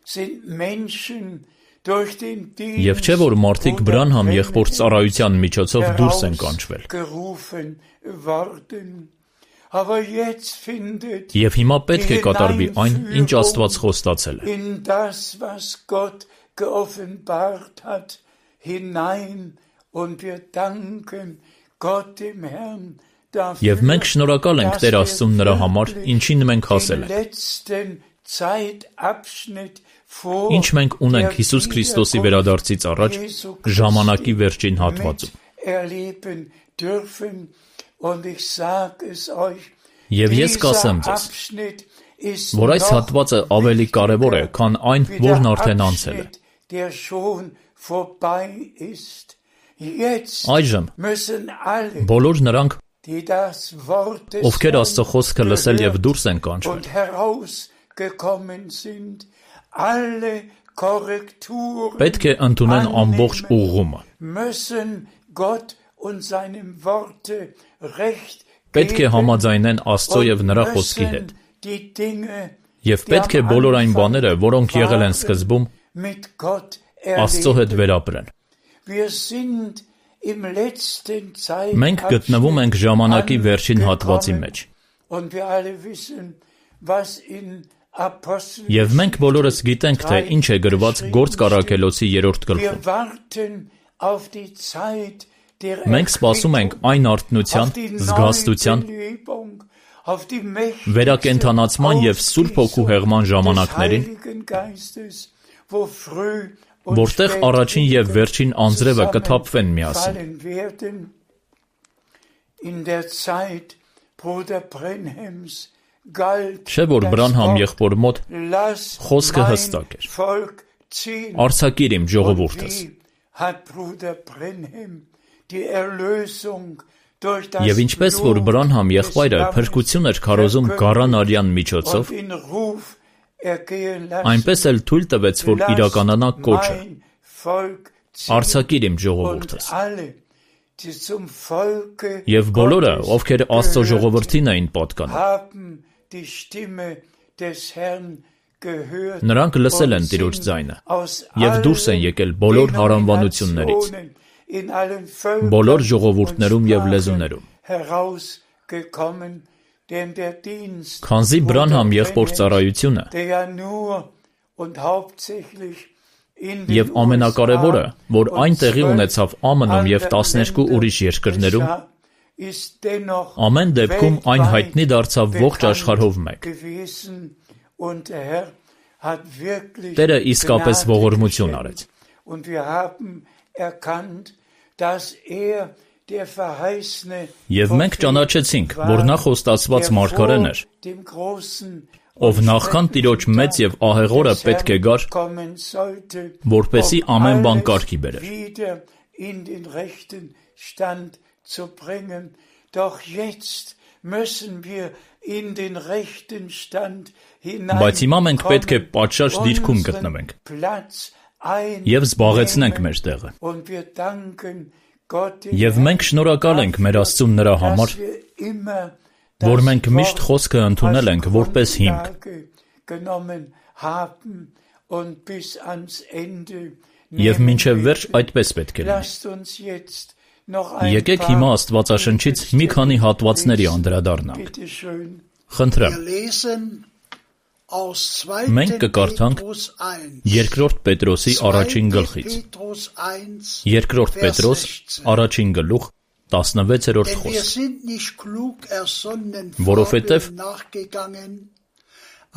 sind Menschen durch den և չէ, որ մարդիկ Բրանհամ եղբոր ծառայության միջոցով դուրս են կանչվել։ gerufen worden. Aber jetzt findet Եվ հիմա պետք է կատարվի այն, ինչ Աստված խոստացել է։ in das, was Gott geoffenbart hat, hinein und wir danken Gott dem Herrn dafür, Եվ մենք շնորհակալ ենք Տեր Աստծուն նրա համար, ինչին մենք հասել den ենք, letzten Zeitabschnitt vor ինչ մենք ունենք Հիսուս Քրիստոսի վերադարձից առաջ ժամանակի վերջին հատվածում։ erleben dürfen. Und ich sag es euch, Եվ ես կասեմ dieser ձեզ, Abschnitt ist որ այս noch հատվածը ավելի կարևոր է, քան այն, wie որն der արդեն անցել է։ Abschnitt, der schon vorbei ist. Jetzt Այժմ müssen alle, բոլոր նրանք, die das Wort des ովքեր Աստծո խոսքը լսել և gehört դուրս են կանչվել, und herausgekommen sind, alle Korrekturen պետք է ընդունեն ամբողջ ուղղումը, müssen Gott und seinem Worte Recht պետք է geben համաձայնեն Աստծո և und նրա խոսքի հետ, müssen die Dinge, և պետք է բոլոր այն բաները, որոնք եղել են սկզբում, mit Gott Աստծո հետ erleben. վերապրեն։ Wir sind im letzten Մենք գտնվում ենք ժամանակի վերջին հատվածի angekommen. մեջ, Und wir alle wissen, was in Apostel և մենք բոլորս գիտենք, թե ինչ է գրված Գործք առաքելոցի երրորդ Wir գլխում։ warten auf die Zeit der Մենք սպասում ենք այն արթնության, auf die զգաստության, Neubelebung, auf die mächtige վերակենդանացման և Սուրբ Հոգու հեղման des ժամանակներին, Heiligen Geistes, wo früh und որտեղ spät առաջին և վերջին անձրևը կթափվեն միասին։ zusammenfallen werden. In der Zeit Bruder Brenhems galt Չէ՞ որ das Բրանհամ Wort, եղբոր մոտ lass խոսքը mein հստակ էր. Volk ziehen. Արձակիր իմ Und ժողովուրդս։ wie hat Bruder Brenhem die Erlösung durch das Եվ ինչպես որ Blut Բրանհամ des եղբայրը Lammes փրկություն էր քարոզում գառան արյան միջոցով, und in Ruf ergehen lassen, այնպես էլ թույլ տվեց, որ lass իրականանա կոչը. mein Volk ziehen. Արձակիր իմ Und ժողովուրդս։ alle, die zum Volke Եվ բոլորը, Gottes ովքեր Աստծո gehört, ժողովրդին էին պատկանում, haben die Stimme des Herrn gehört նրանք լսել են und Տիրոջ sind ձայնը aus և դուրս են allen եկել բոլոր հարանվանություններից, Denominationen, in allen Völkern բոլոր und ժողովուրդներում և Sprachen լեզուներում։ herausgekommen, denn der Dienst Քանզի Բրանհամ եղբոր ծառայությունը der ja nur und hauptsächlich in den և ամենակարևորը, որ U S A այն und տեղի zwölf ունեցավ Ամնում և տասներկու ուրիշ երկրներում, geschah, ist dennoch ամեն դեպքում այն հայտնի դարձավ ողջ աշխարհով մեկ։ gewesen und der Herr hat wirklich Տերը իսկապես Gnade ողորմություն geschenkt. արեց։ Und wir haben erkannt, dass er der verheißene Եվ մենք ճանաչեցինք, որ նա խոստացված der մարգարեն էր, vor dem großen ով նախքան Տիրոջ մեծ և ահեղորը պետք է գար, kommen sollte, որպեսզի um ամեն բան alles կարգի բերեր։ wieder in den rechten Stand zu bringen. Doch jetzt müssen wir in den rechten Stand Բայց հիմա մենք պետք է պատշաճ դիրքում unseren գտնվենք Platz և զբաղեցնենք einnehmen. մեր տեղը։ Und wir danken Gott dem Եվ մենք շնորհակալ ենք մեր Աստծուն նրա համար, dass wir immer որ das մենք միշտ Wort խոսքը ընդունել als ենք որպես հիմք, Grundlage genommen haben und bis ans Ende և nehmen մինչև վերջ werden. այդպես պետք է լինի։ Lasst uns jetzt noch ein Եկեք paar հիմա Աստվածաշնչից մի քանի հատվածների անդրադառնանք։ Bitte schön. Խնդրեմ, Wir lesen aus Մենք zweiten կկարդանք Petrus eins. երկրորդ Պետրոսի առաջին zweiten գլխից։ Petrus eins, Երկրորդ Vers Պետրոս sechzehn. առաջին գլուխ տասնվեցերորդ Denn wir խոսք։ sind nicht klug ersonnen Որովհետև Fabeln nachgegangen,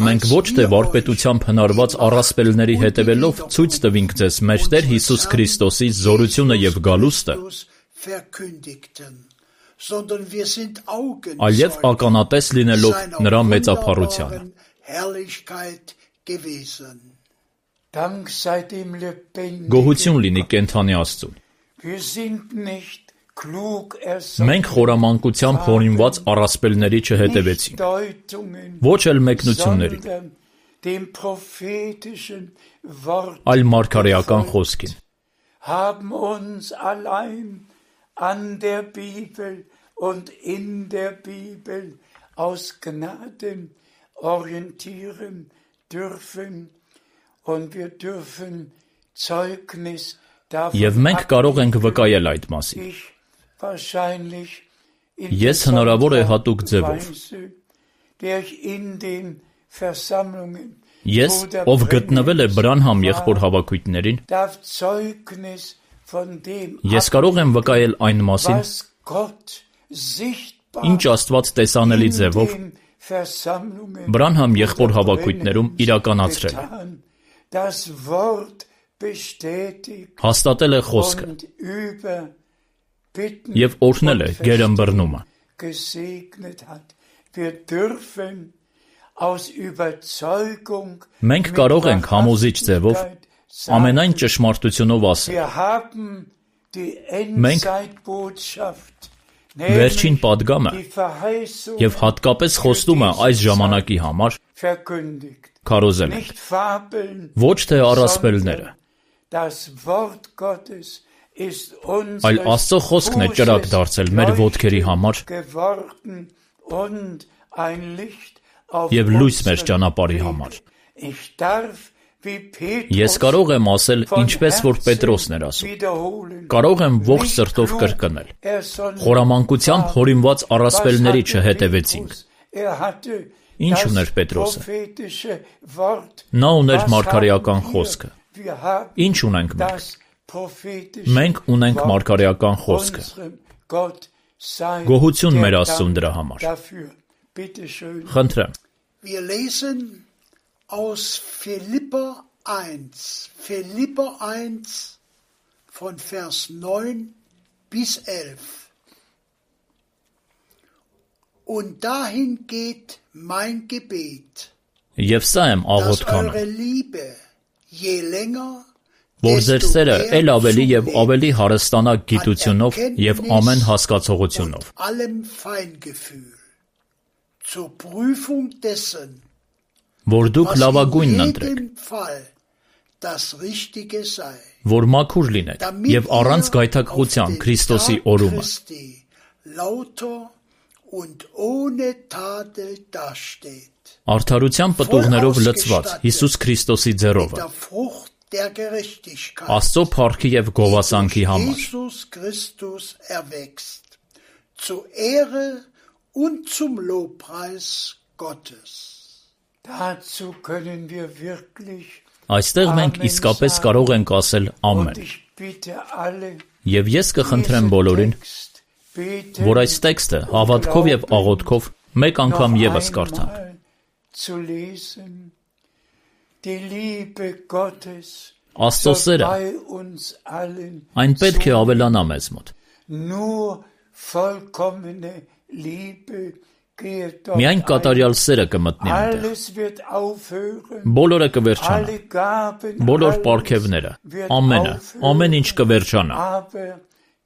Մենք ոչ թե վարպետությամբ հնարված առասպելների հետևելով ցույց տվինք ձեզ մեր Տեր Հիսուս Քրիստոսի զորությունը և գալուստը, verkündigten, sondern wir sind այլև ականատես լինելով նրա մեծափառությանը։ Herrlichkeit gewesen. Dank sei dem lebendigen Գոհություն լինի կենդանի Աստծուն։ Wir sind nicht klug ersonnen, Մենք խորամանկությամբ հորինված առասպելների չհետևեցինք, Deutungen, ոչ էլ մեկնությունների, sondern dem prophetischen Wort այլ մարգարեական խոսքին։ haben uns allein an der Bibel und in der Bibel aus Gnaden orientieren dürfen und wir dürfen Zeugnis Եվ մենք կարող ենք վկայել այդ մասին։ Ես հնարավոր է հատուկ ձևով։ Ես, ով գտնվել է Բրանհամ եղբոր հավաքույտներին, ես կարող եմ վկայել այն մասին, ինչ Աստված տեսանելի ձևով Բրանհամ եղբոր հավաքույտներում իրականացրել է։ Հաստատել է խոսքը և օրհնել է գերըմբռնումը։ Մենք կարող ենք համոզիչ ձևով ամենայն ճշմարտությունով ասել. մենք վերջին պատգամը և հատկապես խոստումը այս ժամանակի համար քարոզել ենք, ոչ թե առասպելները, այլ Աստծո խոսքն է ճրագ դարձել մեր ոտքերի համար և լույս մեր ճանապարհի համար։ Ես կարող եմ ասել, ինչպես որ Պետրոսն էր ասում, կարող եմ ողջ սրտով կրկնել. խորամանկությամբ հորինված առասպելների չհետևեցինք։ Ինչ ուներ Պետրոսը։ Նա ուներ մարգարեական խոսքը։ Ինչ ունենք մենք։ Մենք ունենք մարգարեական խոսքը։ Գոհություն մեր Աստծուն դրա համար։ Խնդրեմ։ Wir lesen aus Philipper eins, Philipper eins von Vers neun bis elf. Und dahin geht mein Gebet, Եվ սա եմ dass աղոթքանը, eure Liebe je länger, որ ձեր desto սերը mehr էլ ավելի և zunehmen ավելի հարստանա an գիտությունով և ամեն հասկացողությունով, und allem Feingefühl, zur Prüfung dessen, որ դուք was in լավագույնն ընտրեք, jedem Fall das Richtige sei, որ մաքուր լինեք damit և առանց ihr գայթակղության auf den Քրիստոսի Tag օրումը, Christi lauter und ohne Tadel dasteht, արդարության պտուղներով լցված Հիսուս Քրիստոսի mit ձեռովը, der Frucht der Gerechtigkeit, Աստծո փառքի և die գովասանքի durch համար, Jesus Christus erwächst, zur Ehre und zum Lobpreis Gottes. Dazu können wir wirklich Այստեղ մենք իսկապես կարող ենք ասել und ամեն։ ich bitte alle, Եվ ես կխնդրեմ բոլորին, որ այս տեքստը հավատքով և աղոթքով մեկ անգամ ևս կարդանք։ zu lesen. Die Liebe Gottes Աստծո soll սերը bei uns allen այն պետք է ավելանա մեզ մոտ։ nur vollkommene Liebe geht dort Միայն ein. կատարյալ սերը կմտնի այնտեղ։ Alles wird aufhören. Բոլորը կվերջանա, Alle Gaben, բոլոր alles պարգևները, wird ամենը, aufhören. ամեն ինչ կվերջանա, Aber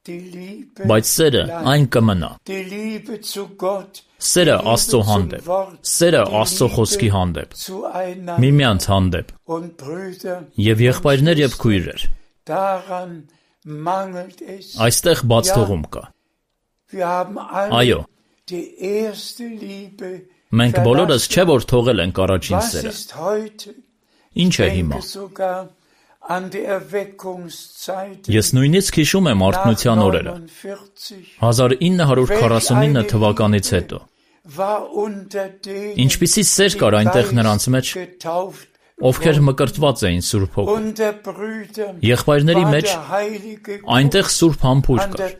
die Liebe բայց սերը bleibt. այն կմնա։ Die Liebe zu Gott, Սերը die Liebe Աստծո zum հանդեպ, Wort, սերը die Աստծո Liebe խոսքի հանդեպ, zueinander. միմյանց հանդեպ, Und Brüder, և եղբայրներ և քույրեր, daran mangelt es. այստեղ բաց թողում կա։ Wir haben alle Այո, die erste Liebe մենք բոլորս verlassen. չէ որ թողել ենք առաջին Was սերը։ ist heute? Ինչ է Ich հիմա։ denke sogar an die Erweckungszeit Ես նույնիսկ հիշում եմ արթնության օրերը, հազար ինը հարյուր քառասունինը թվականից հետո։ Ինչպիսի սեր կար այնտեղ նրանց մեջ, ովքեր մկրտված էին Սուրբ Հոգով։ Եղբայրների մեջ այնտեղ Սուրբ Համբույր կար։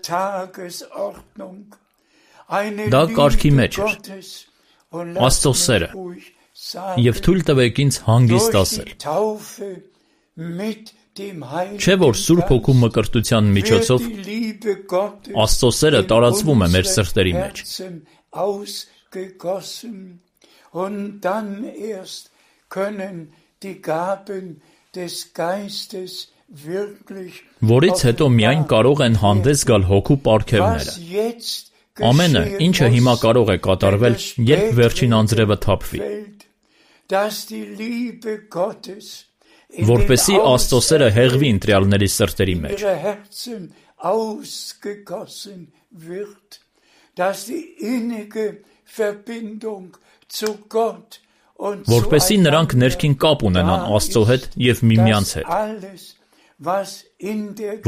Դա կարգի մեջ էր։ Աստծո սերը։ Եվ թույլ տվեք ինձ հանգիստ ասել։ Չէ՞ որ Սուրբ Հոգու մկրտության միջոցով Աստծո սերը տարածվում է մեր սրտերի մեջ։ Und dann erst können die Gaben des Geistes wirklich Որից հետո միայն կարող են հանդես գալ հոգու պարգևները։ Ամենը, ինչը հիմա կարող է կատարվել, երբ վերջին անձրևը թափվի։ dass die Liebe Gottes որպեսզի Աստծո սերը հեղվի ընտրյալների սրտերի մեջ, ihre Herzen ausgegossen wird, dass die innige Verbindung zu Gott und որպեսզի նրանք ներքին կապ ունենան Աստծո հետ և միմյանց հետ,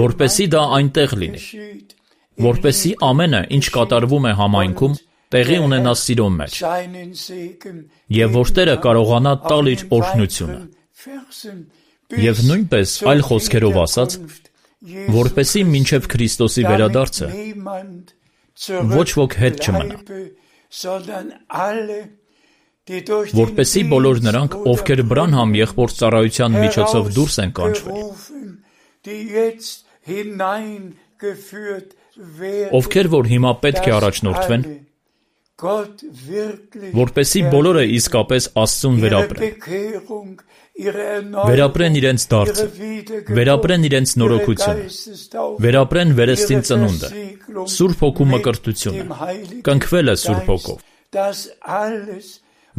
որպեսզի դա այնտեղ լինի, որպեսզի ամենը, ինչ կատարվում է համայնքում, տեղի ունենա սիրո մեջ, և որ Տերը կարողանա տալ իր օրհնությունը, և նույնպես այլ խոսքերով ասած, որպեսզի մինչև Քրիստոսի վերադարձը ոչ ոք հետ չմնա, որպեսզի բոլոր նրանք, ովքեր Բրանհամ եղբոր ծառայության միջոցով դուրս են կանչվել, ովքեր որ հիմա պետք է առաջնորդվեն, որպեսզի բոլորը իսկապես Աստծուն վերապրեն, վերապրեն իրենց դարձը, վերապրեն իրենց նորոգությունը, վերապրեն վերստին ծնունդը, Սուրբ Հոգու մկրտությունը, կնքվելը Սուրբ Հոգով,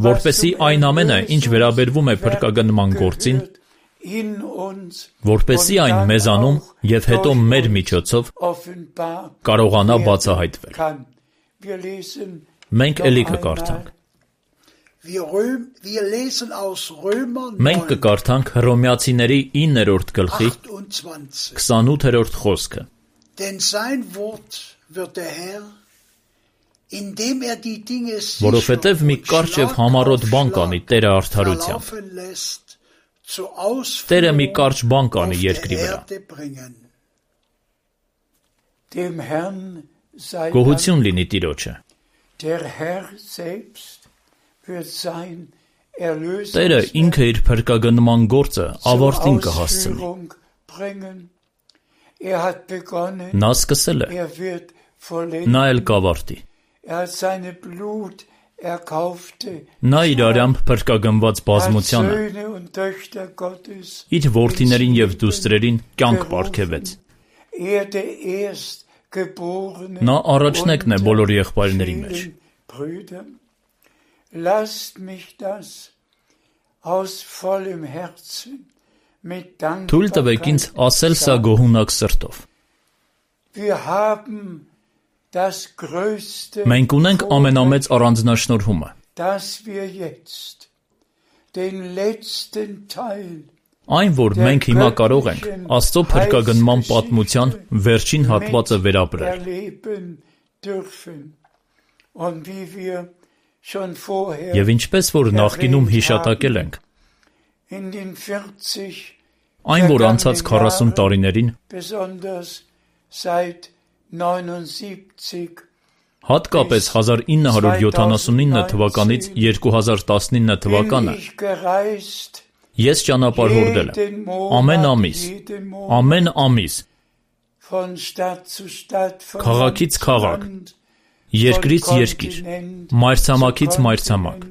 որպեսզի այն ամենը, ինչ վերաբերվում է փրկագնման գործին, որպեսզի այն մեզանում և հետո մեր միջոցով կարողանա բացահայտվել։ Մենք էլի կկարդանք։ Մենք կկարդանք Հռոմեացիների իններորդ գլխի քսանութերորդ խոսքը։ Որովհետև մի կարճ և համառոտ բան կանի Տերը արդարությամբ, Տերը մի կարճ բան կանի երկրի վրա։ Գոհություն լինի Տիրոջը։ Տերը ինքը իր փրկագնման գործը ավարտին կհասցնի։ Նա սկսել է, նա էլ կավարտի։ Նա իր արյամբ փրկագնված բազմությանը իր որդիներին և դուստրերին կյանք պարգևեց։ Նա առաջնեկն է բոլոր եղբայրների մեջ։ Թույլ տվեք ինձ ասել սա գոհունակ սրտով։ Մենք ունենք ամենամեծ առանձնաշնորհումը, այն, որ մենք հիմա կարող ենք Աստծո փրկագնման պատմության վերջին հատվածը վերապրել։ Եվ ինչպես որ նախկինում հիշատակել ենք, այն, որ անցած քառասուն տարիներին, հատկապես հազար ինը հարյուր յոթանասունինը թվականից երկու հազար տասնինը թվականը, ես ճանապարհորդել եմ ամեն ամիս, ամեն ամիս, քաղաքից քաղաք, երկրից երկիր, մայրցամաքից մայրցամաք։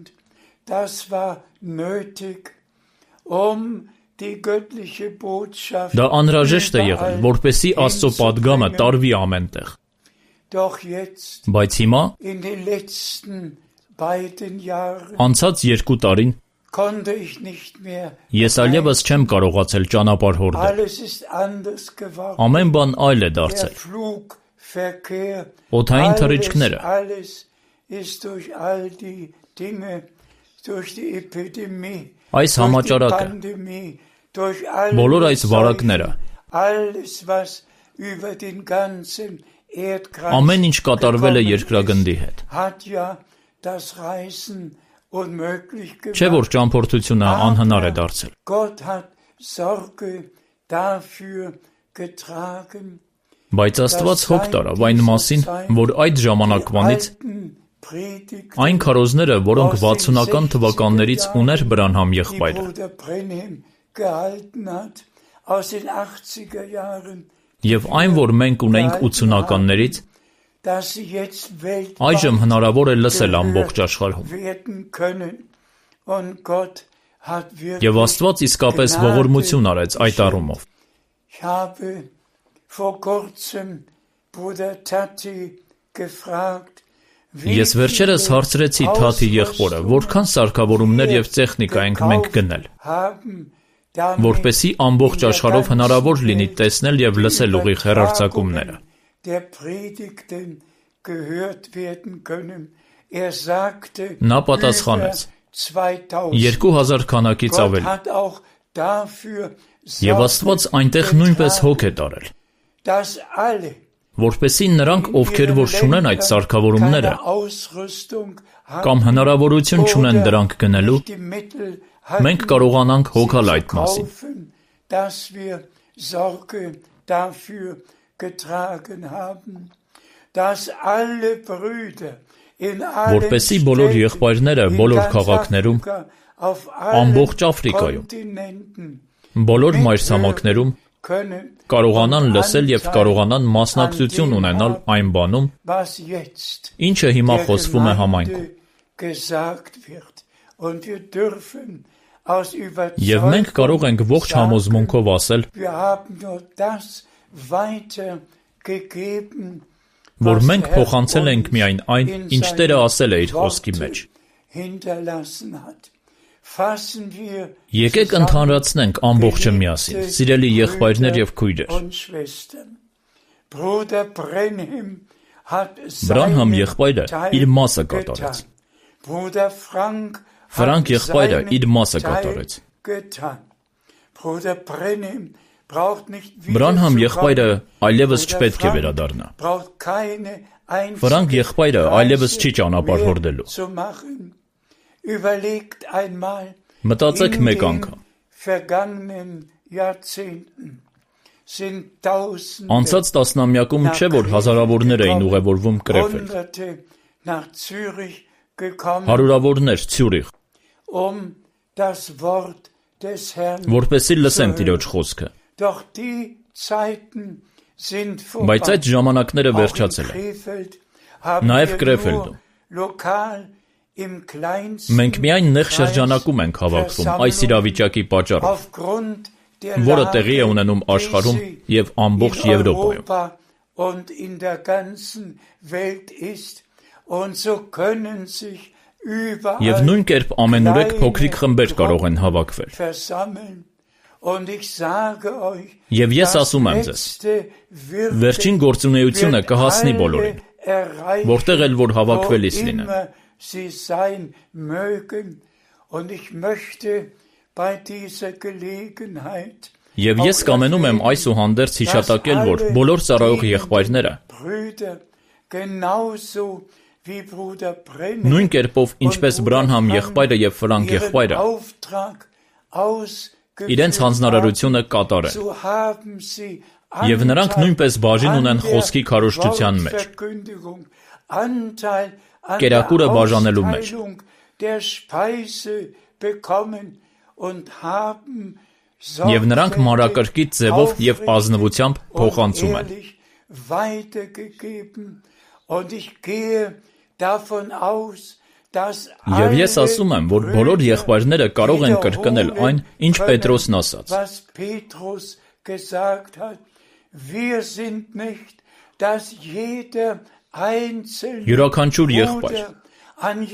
Դա անհրաժեշտ է եղել, որպեսզի Աստծո պատգամը տարվի ամենտեղ։ Բայց հիմա, անցած երկու տարին, ես այլևս չեմ կարողացել ճանապարհորդել։ Ամեն բան այլ է դարձել։ Օդային թռիչքները, այս համաճարակը, բոլոր այս վարակները, ամեն ինչ կատարվել է երկրագնդի հետ։ Չէ՞ որ ճամփորդությունը անհնար է դարձել։ Բայց Աստված հոգ տարավ այն մասին, որ այդ ժամանակվանից այն քարոզները, որոնք վաթսունական թվականներից ուներ Բրանհամ եղբայրը, և այն, որ մենք ունենք ութսունականներից, այժմ հնարավոր է լսել ամբողջ աշխարհում։ Եվ Աստված իսկապես ողորմություն արեց այդ առումով։ Ես վերջերս հարցրեցի Թաթի եղբորը, որքան սարքավորումներ եւ տեխնիկա ենք մենք գնել, որպեսզի ամբողջ աշխարհով հնարավոր լինի տեսնել եւ լսել ուղիղ հեռարձակումները։ Նա պատասխանեց. երկու հազար քանակից ավելի։ Եվ Աստված այնտեղ նույնպես հոգ է տարել, որպեսզի նրանք, ովքեր որ չունեն այդ սարքավորումները կամ հնարավորություն չունեն դրանք գնելու, մենք կարողանանք հոգալ այդ մասին։ Որպեսզի բոլոր եղբայրները բոլոր քաղաքներում, ամբողջ Աֆրիկայում, բոլոր մայրցամաքներում կարողանան լսել եւ կարողանան մասնակցություն ունենալ այն բանում, ինչը հիմա խոսվում է համայնքում։ Եվ մենք կարող ենք ողջ համոզմունքով ասել, որ մենք փոխանցել ենք միայն այն, ինչ Տերը ասել է իր խոսքի մեջ։ Եկեք ընդհանրացնենք ամբողջը միասին, սիրելի եղբայրներ եւ քույրեր։ Բրանհամ եղբայրը իր մասը կատարեց։ Ֆրանկ եղբայրը իր մասը կատարեց։ Բրանհամ եղբայրը այլևս չպետք է վերադառնա։ Ֆրանկ եղբայրը այլևս չի ճանապարհ հորդելու։ Մտածեք մեկ անգամ։ Անցած տասնամյակում չէ, որ հազարավորներ էին ուղևորվում Կրեֆելդ, հարյուրավորներ Ցյուրիխ, որպեսզի լսեն Տիրոջ խոսքը։ Բայց այդ ժամանակները վերջացել են։ Նաև Կրեֆելդում։ Մենք միայն նեղ շրջանակում ենք հավաքվում այս իրավիճակի պատճառով, որը տեղի է ունենում աշխարհում եւ ամբողջ Եվրոպայում։ Եվ նույն կերպ ամենուրեք փոքրիկ խմբեր կարող են հավաքվել։ Եվ ես ասում եմ ձեզ, վերջին գործունեությունը կհասնի բոլորին, որտեղ էլ որ հավաքվելիս լինեն։ Sie sein mögen, und ich möchte bei dieser Gelegenheit Եվ ես կամենում եմ այսուհանդերձ հիշատակել, որ բոլոր ծառայող եղբայրները նույն կերպով, ինչպես Բրանհամ եղբայրը եւ Ֆրանկ եղբայրը, իրենց հանձնարարությունը կատարեն։ Եվ նրանք նույնպես բաժին ունեն խոսքի քարոզչության մեջ, կերակուրը բաժանելու մեջ։ Եվ նրանք մանրակրկիտ ձևով եւ ազնվությամբ փոխանցում են։ Եվ ես ասում եմ, որ բոլոր եղբայրները կարող են կրկնել այն, ինչ Պետրոսն ասաց։ Յուրաքանչյուր եղբայր,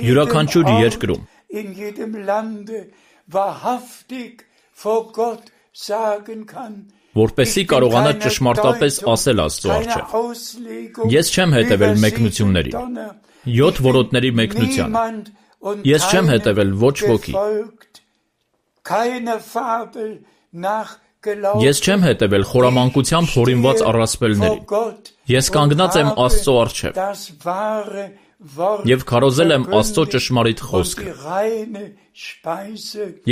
յուրաքանչյուր երկրում, որպեսզի կարողանա ճշմարտապես ասել Աստծո առջև. Ես չեմ հետևել մեկնություններին, յոթ որոտների մեկնությանը, ես չեմ հետևել ոչ ոքի, ես չեմ հետևել խորամանկությամբ հորինված առասպելներին, ես կանգնած եմ Աստծո առջև և քարոզել եմ Աստծո ճշմարիտ խոսքը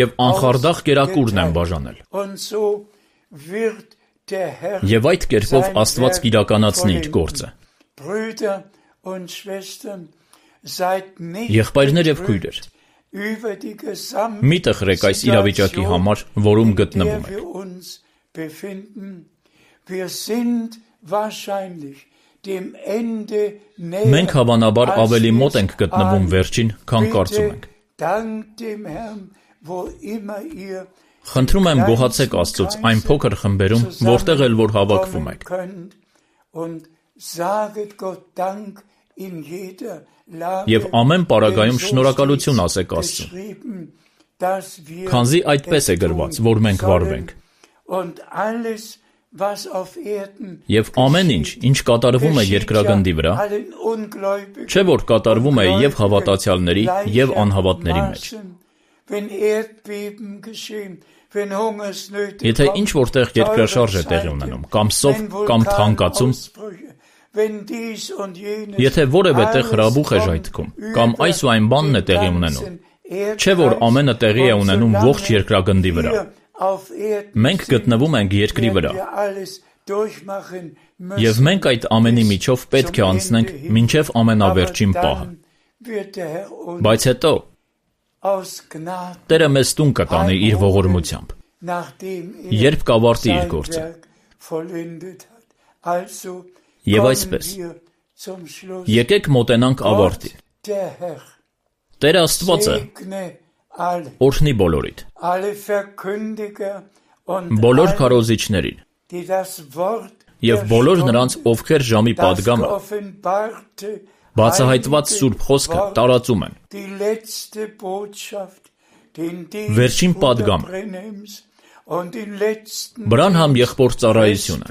և անխարդախ կերակուրն եմ բաժանել։ Եվ այդ կերպով Աստված կիրականացնի իր գործը։ Եղբայրներ և քույրեր, մի տխրեք այս իրավիճակի համար, որում գտնվում եք։ Մենք հավանաբար ավելի մոտ ենք գտնվում վերջին, քան կարծում ենք։ Խնդրում եմ գոհացեք Աստծուց այն փոքր խմբերում, որտեղ էլ որ հավաքվում եք։ Եվ ամեն պարագայում շնորհակալություն ասեք Աստծուն, քանզի այդպես է գրված, որ մենք վարվենք։ Եվ ամեն ինչ, ինչ կատարվում է երկրագնդի վրա, չէ որ կատարվում է և հավատացյալների, և անհավատների մեջ։ Եթե ինչ որտեղ երկրաշարժ է տեղի ունենում, կամ սով, կամ թանկացում, եթե որևէ տեղ հրաբուխ է ժայթքում, կամ այս ու այն բանն է տեղի ունենում, չէ որ ամենը տեղի է ունենում ողջ երկրագնդի վրա։ Մենք գտնվում ենք երկրի վրա, և մենք այդ ամենի միջով պետք է անցնենք մինչև ամենավերջին պահը։ Բայց հետո Տերը մեզ տուն կտանի իր ողորմությամբ, երբ կավարտի իր գործը։ Եվ այսպես, եկեք մոտենանք ավարտին։ Տեր Աստվածը օրհնի բոլորիդ, բոլոր քարոզիչներին և բոլոր նրանց, ովքեր ժամի պատգամը, բացահայտված սուրբ խոսքը տարածում են։ Վերջին պատգամը, Բրանհամ եղբոր ծառայությունը,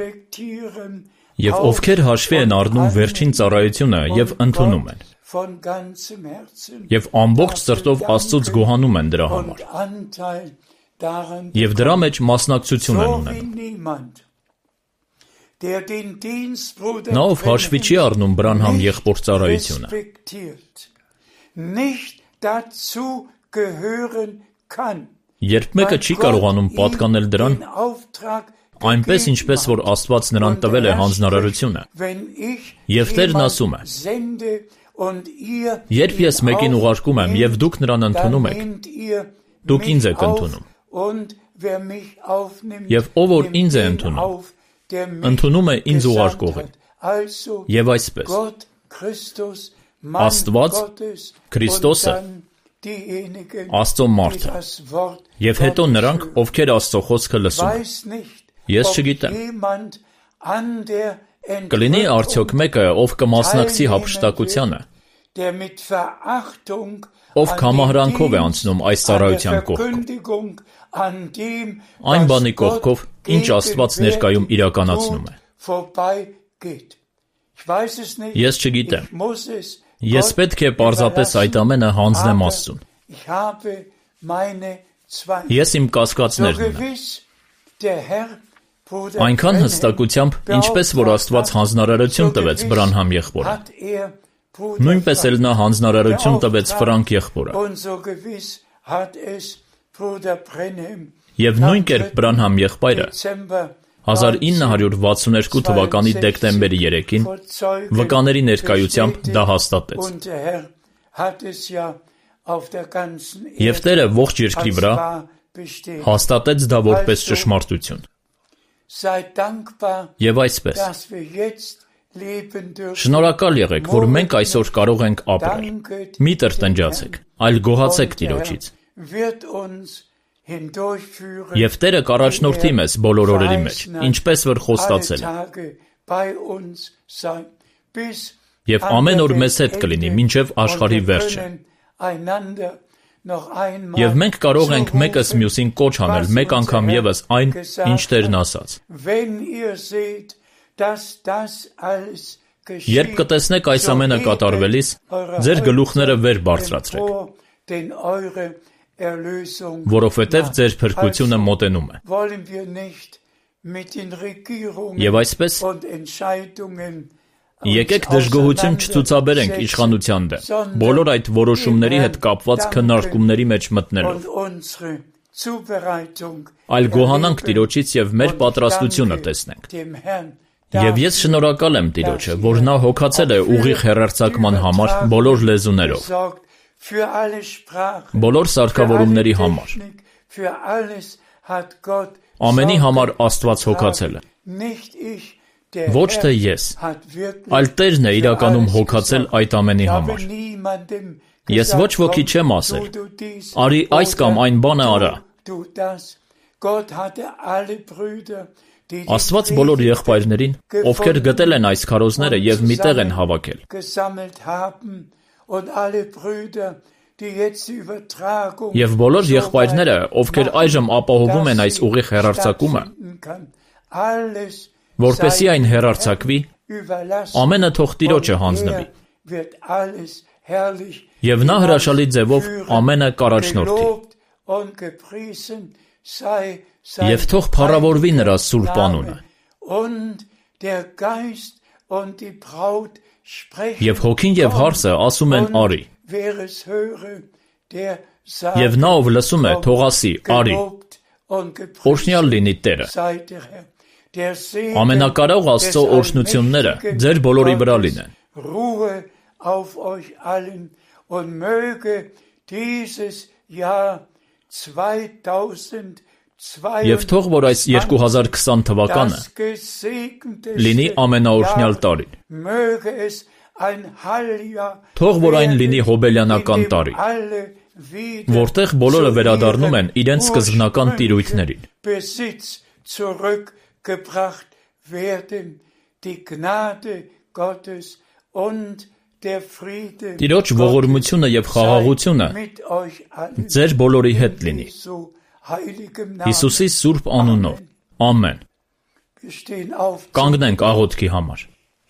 և ովքեր հաշվի են առնում վերջին ծառայությունը և ընդունում են, և ամբողջ սրտով Աստծուց գոհանում են դրա համար, և դրա մեջ մասնակցություն են ունենում։ Նա ով հաշվի չի առնում Բրանհամ եղբոր ծառայությունը, երբ մեկը չի կարողանում պատկանել դրան, այնպես ինչպես որ Աստված նրան տվել է հանձնարարությունը, և Տերն ասում է. երբ ես մեկին ուղարկում եմ, և դուք նրան ընդունում եք, դուք ինձ եք ընդունում, և ով որ ինձ է ընդունում, ընդունում է ինձ ուղարկողին, և այսպես, Աստված, Քրիստոսը, Աստծո մարդը, և հետո նրանք, ովքեր Աստծո խոսքը լսում են։ Ես չգիտեմ, կլինի արդյոք մեկը, ով կմասնակցի հափշտակությանը, ով կամահրանքով է անցնում այս ծառայության կողքով, այն բանի կողքով, ինչ Աստված ներկայում իրականացնում է։ Ես չգիտեմ, ես պետք է պարզապես այդ ամենը հանձնեմ Աստծուն։ Ես իմ կասկածներն ունեմ։ Այնքան հստակությամբ, ինչպես որ Աստված հանձնարարություն տվեց Բրանհամ եղբորը, նույնպես էլ նա հանձնարարություն տվեց Ֆրանկ եղբորը։ Եվ նույն կերպ Բրանհամ եղբայրը հազար ինը հարյուր վաթսունութ թվականի դեկտեմբերի երեքին վկաների ներկայությամբ դա հաստատեց։ Եվ Տերը ողջ երկրի վրա հաստատեց դա որպես ճշմարտություն։ Եվ այսպես, շնորհակալ եղեք, որ մենք այսօր կարող ենք ապրել։ Մի տրտնջացեք, այլ գոհացեք Տիրոջից։ Եվ Տերը կառաջնորդի մեզ բոլոր օրերի մեջ, ինչպես որ խոստացել է։ Եվ ամեն օր մեզ հետ կլինի մինչև աշխարհի վերջը։ Եվ մենք կարող ենք մեկս մյուսին կոչ անել մեկ անգամ ևս այն, ինչ Տերն ասաց։ Երբ կտեսնեք այս ամենը կատարվելիս, ձեր գլուխները վեր բարձրացրեք, որովհետև ձեր փրկությունը մոտենում է։ Եվ այսպես, եկեք դժգոհություն չցուցաբերենք իշխանության դեմ, բոլոր այդ որոշումների հետ կապված քննարկումների մեջ մտնելով, այլ գոհանանք Տիրոջից և մեր պատրաստությունը տեսնենք։ Եվ ես շնորհակալ եմ Տիրոջը, որ նա հոգացել է ուղիղ հեռարձակման համար բոլոր լեզուներով, բոլոր սարքավորումների համար, ամենի համար Աստված հոգացել է։ Ոչ թե ես, այլ Տերն է իրականում հոգացել այդ ամենի համար։ Ես ոչ ոքի չեմ ասել, արի այս կամ այն բանը արա, Gott hatte alle Brüder, die Աստված բոլոր եղբայրներին, ովքեր գտել են այս քարոզները եւ միտեղ են հավաքել, gesammelt haben und alle Brüder, die jetzt die Übertragung եւ բոլոր եղբայրները, ովքեր այժմ ապահովում են այս ուղիղ հեռարձակումը, alles որպեսզի այն հեռարձակվի, ամենը թող Տիրոջը հանձնվի, wird alles herrlich եւ նա հրաշալի ձևով ամենը կառաջնորդի, und gepriesen sei եւ թող փառավորվի նրա սուրբ անունը, und der Geist und die Braut sprechen, եւ հոգին եւ հարսը ասում են արի, wer es höre, der եւ նա ով լսում է, թող ասի արի, օրհնյալ լինի Տերը, ամենակարող Աստծո օրհնությունները ձեր բոլորի վրա լինեն, Ruhe auf euch allen und möge dieses Jahr zweitausendzweiundzwanzig եւ թող որ այս երկու հազար քսան թվականը լինի ամենաօրհնյալ տարին, möge es ein Halljahr թող որ այն լինի հոբելյանական տարի, որտեղ բոլորը վերադառնում են իրենց սկզբնական տիրույթներին, Besitz zurückgebracht werden, die Gnade Gottes und der Friede Տիրոջ ողորմությունը եւ խաղաղությունը mit euch allen ձեր բոլորի հետ լինի, Jesu heiligem Namen. Հիսուսի սուրբ անունով, ամեն, Wir stehen auf, կանգնենք աղոթքի համար,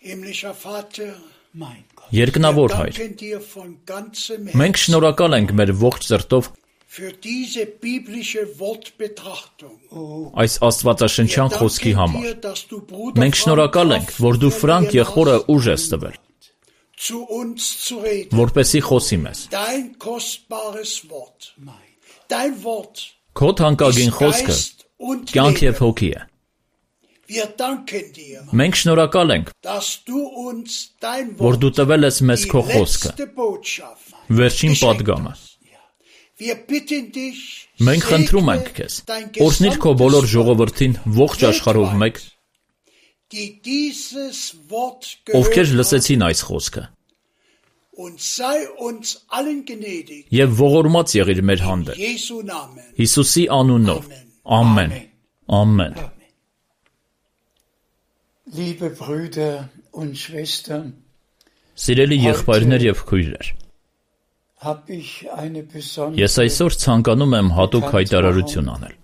Himmlischer Vater, mein Gott, երկնավոր հայր, danken dir von ganzem մենք Herzen շնորհակալ ենք մեր ողջ սրտով für diese biblische Wortbetrachtung. այս աստվածաշնչյան խոսքի Danke համար, dir, dass du Bruder մենք շնորհակալ ենք, որ դու Ֆրանկ եղբորը ուժ ես տվել, zu uns zu reden. որպեսի խոսի մեզ, Dein kostbares Wort, dein Wort քո թանկագին ist խոսքը Geist und կյանք եւ Leben. հոգի է, Wir danken dir, մենք շնորհակալ ենք, dass du uns dein որ Wort, դու տվել ես մեզ die քո խոսքը, letzte Botschaft, վերջին geschenkt պատգամը, hast. Wir bitten dich, մենք խնդրում ենք segne քեզ, dein օրհնիր քո gesamtes բոլոր Volk, ժողովրդին ողջ աշխարհով մեկ, die dieses Wort ովքեր gehört haben, լսեցին այս խոսքը, und sei uns allen gnädig. եւ ողորմած եղիր մեր հանդեպ, Jesu Namen. Հիսուսի անունով, ամեն, ամեն, liebe Brüder und Schwestern, Սիրելի եղբայրներ եւ քույրեր, hab ich eine besondere, ես այսօր ցանկանում եմ հատուկ հայտարարություն անել,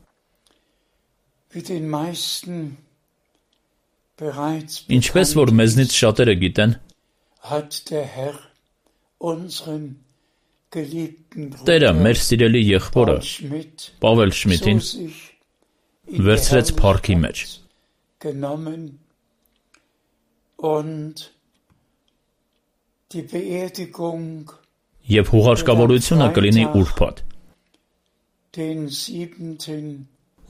wie den meisten bereits ինչպես որ մեզնից շատերը գիտեն, hat der Herr unseren geliebten Տերը Bruder մեր սիրելի եղբորը Paul Schmidt Պավել zu Շմիդին sich in die վերցրեց փառքի մեջ, Herrlichkeit genommen und die Beerdigung եւ հուղարկավորությունը կլինի ուրբաթ, den siebenten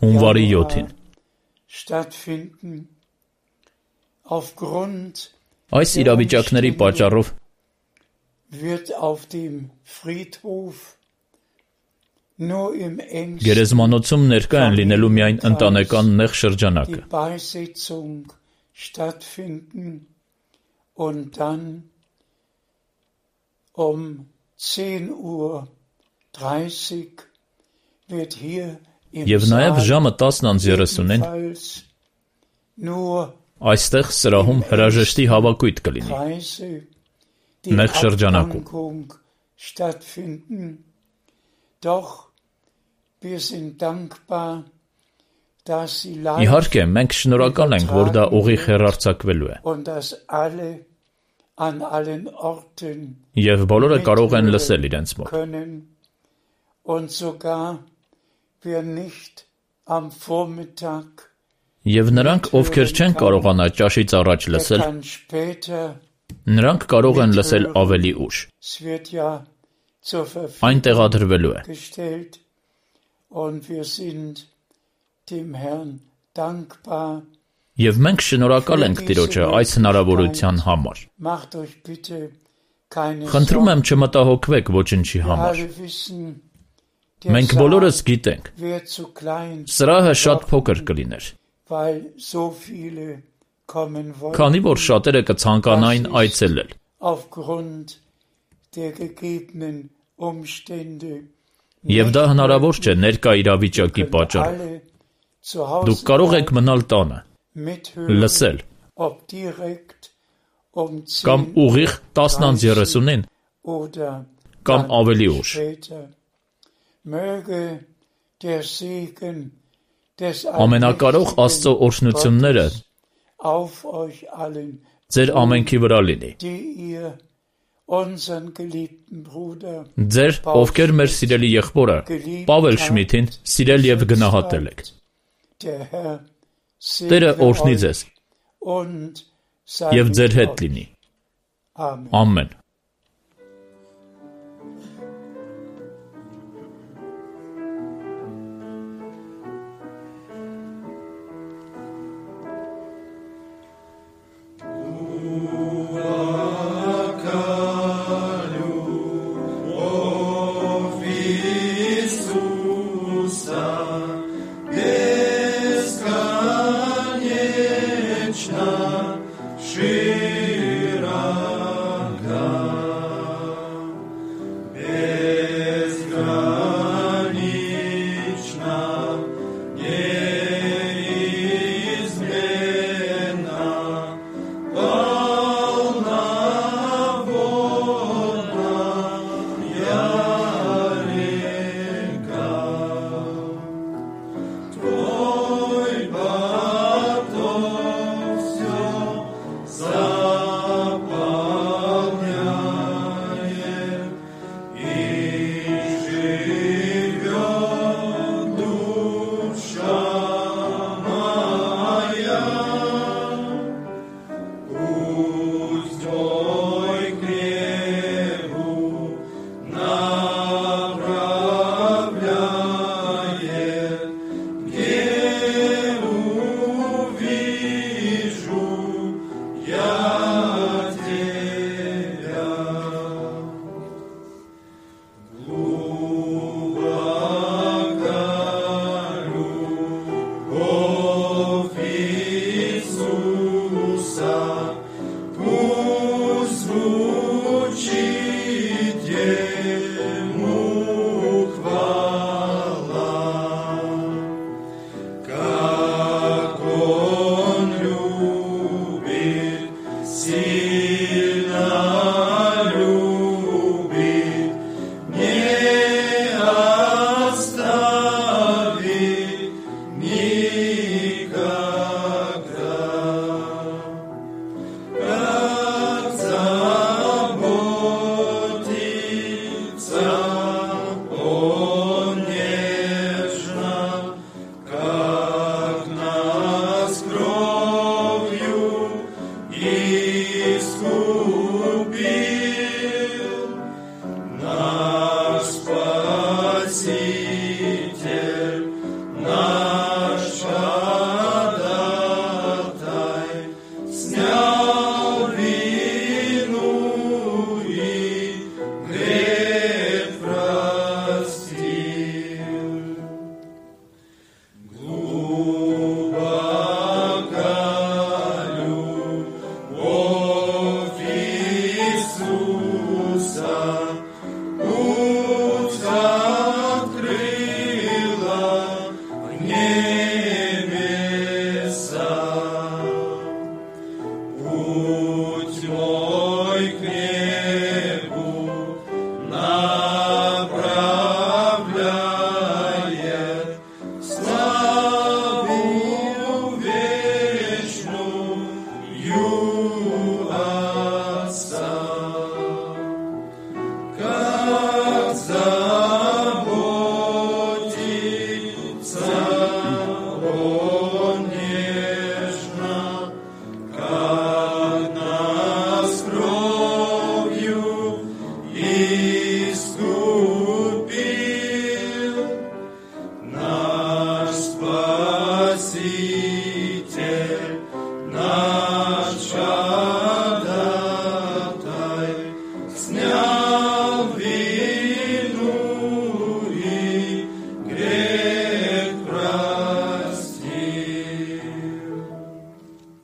հունվարի Januar յոթին, stattfinden. Aufgrund այս իրավիճակների պատճառով wird auf dem Friedhof nur im engsten գերեզմանոցում ներկա են լինելու միայն ընտանեկան նեղ շրջանակը, die Beisetzung stattfinden und dann um zehn Uhr dreißig wird hier im եւ նաեւ Saal ժամը տասն երեսունին ebenfalls nur այստեղ սրահում հրաժեշտի հավաքույթ կլինի, Kreise, die Նեղ շրջանակում, Abdankung stattfinden. Doch wir sind dankbar, dass sie live իհարկե մենք շնորհակալ ենք, որ դա ուղիղ հեռարձակվելու է, und dass alle an allen Orten եւ բոլորը կարող են լսել իրենց մոտ, können und sogar wer nicht am Vormittag, եւ նրանք, ովքեր չեն կարողանա ճաշից առաջ der լսել, kann später, նրանք կարող են լսել ավելի ուշ, es wird ja zur այն Verfügung տեղադրվելու է, gestellt und wir sind dem Herrn dankbar. եւ մենք շնորհակալ ենք Տիրոջը այս հնարավորության համար, Macht euch bitte keine խնդրում եմ Sorgen. չմտահոգվեք ոչնչի Wir համար, alle wissen, der մենք Saal բոլորս գիտենք, wird zu klein, սրահը շատ փոքր կլիներ, weil so viele kommen wollen. քանի որ շատերը կցանկանային այցելել, Aufgrund der gegebenen Umstände եւ դա հնարավոր չէ ներկա իրավիճակի können պատճառով, alle zu Hause Դուք կարող եք մնալ տանը, mithören, լսել, ob direkt um կամ zehn ուղիղ տասնանց երեսունին, oder կամ dann ավելի ուշ։ später. Möge der Segen des Ամենակարող Աստծո օրհնությունները Gottes auf euch allen, ձեր ամենքի վրա լինի։ die ihr unseren geliebten Bruder Ձեր, ովքեր մեր սիրելի եղբորը Պավել Շմիթին սիրել եւ գնահատել եք։ der Herr Տերը segne օրհնի euch ձեզ und sei եւ mit ձեր հետ euch. լինի։ Amen. Ամեն։ Iiskus.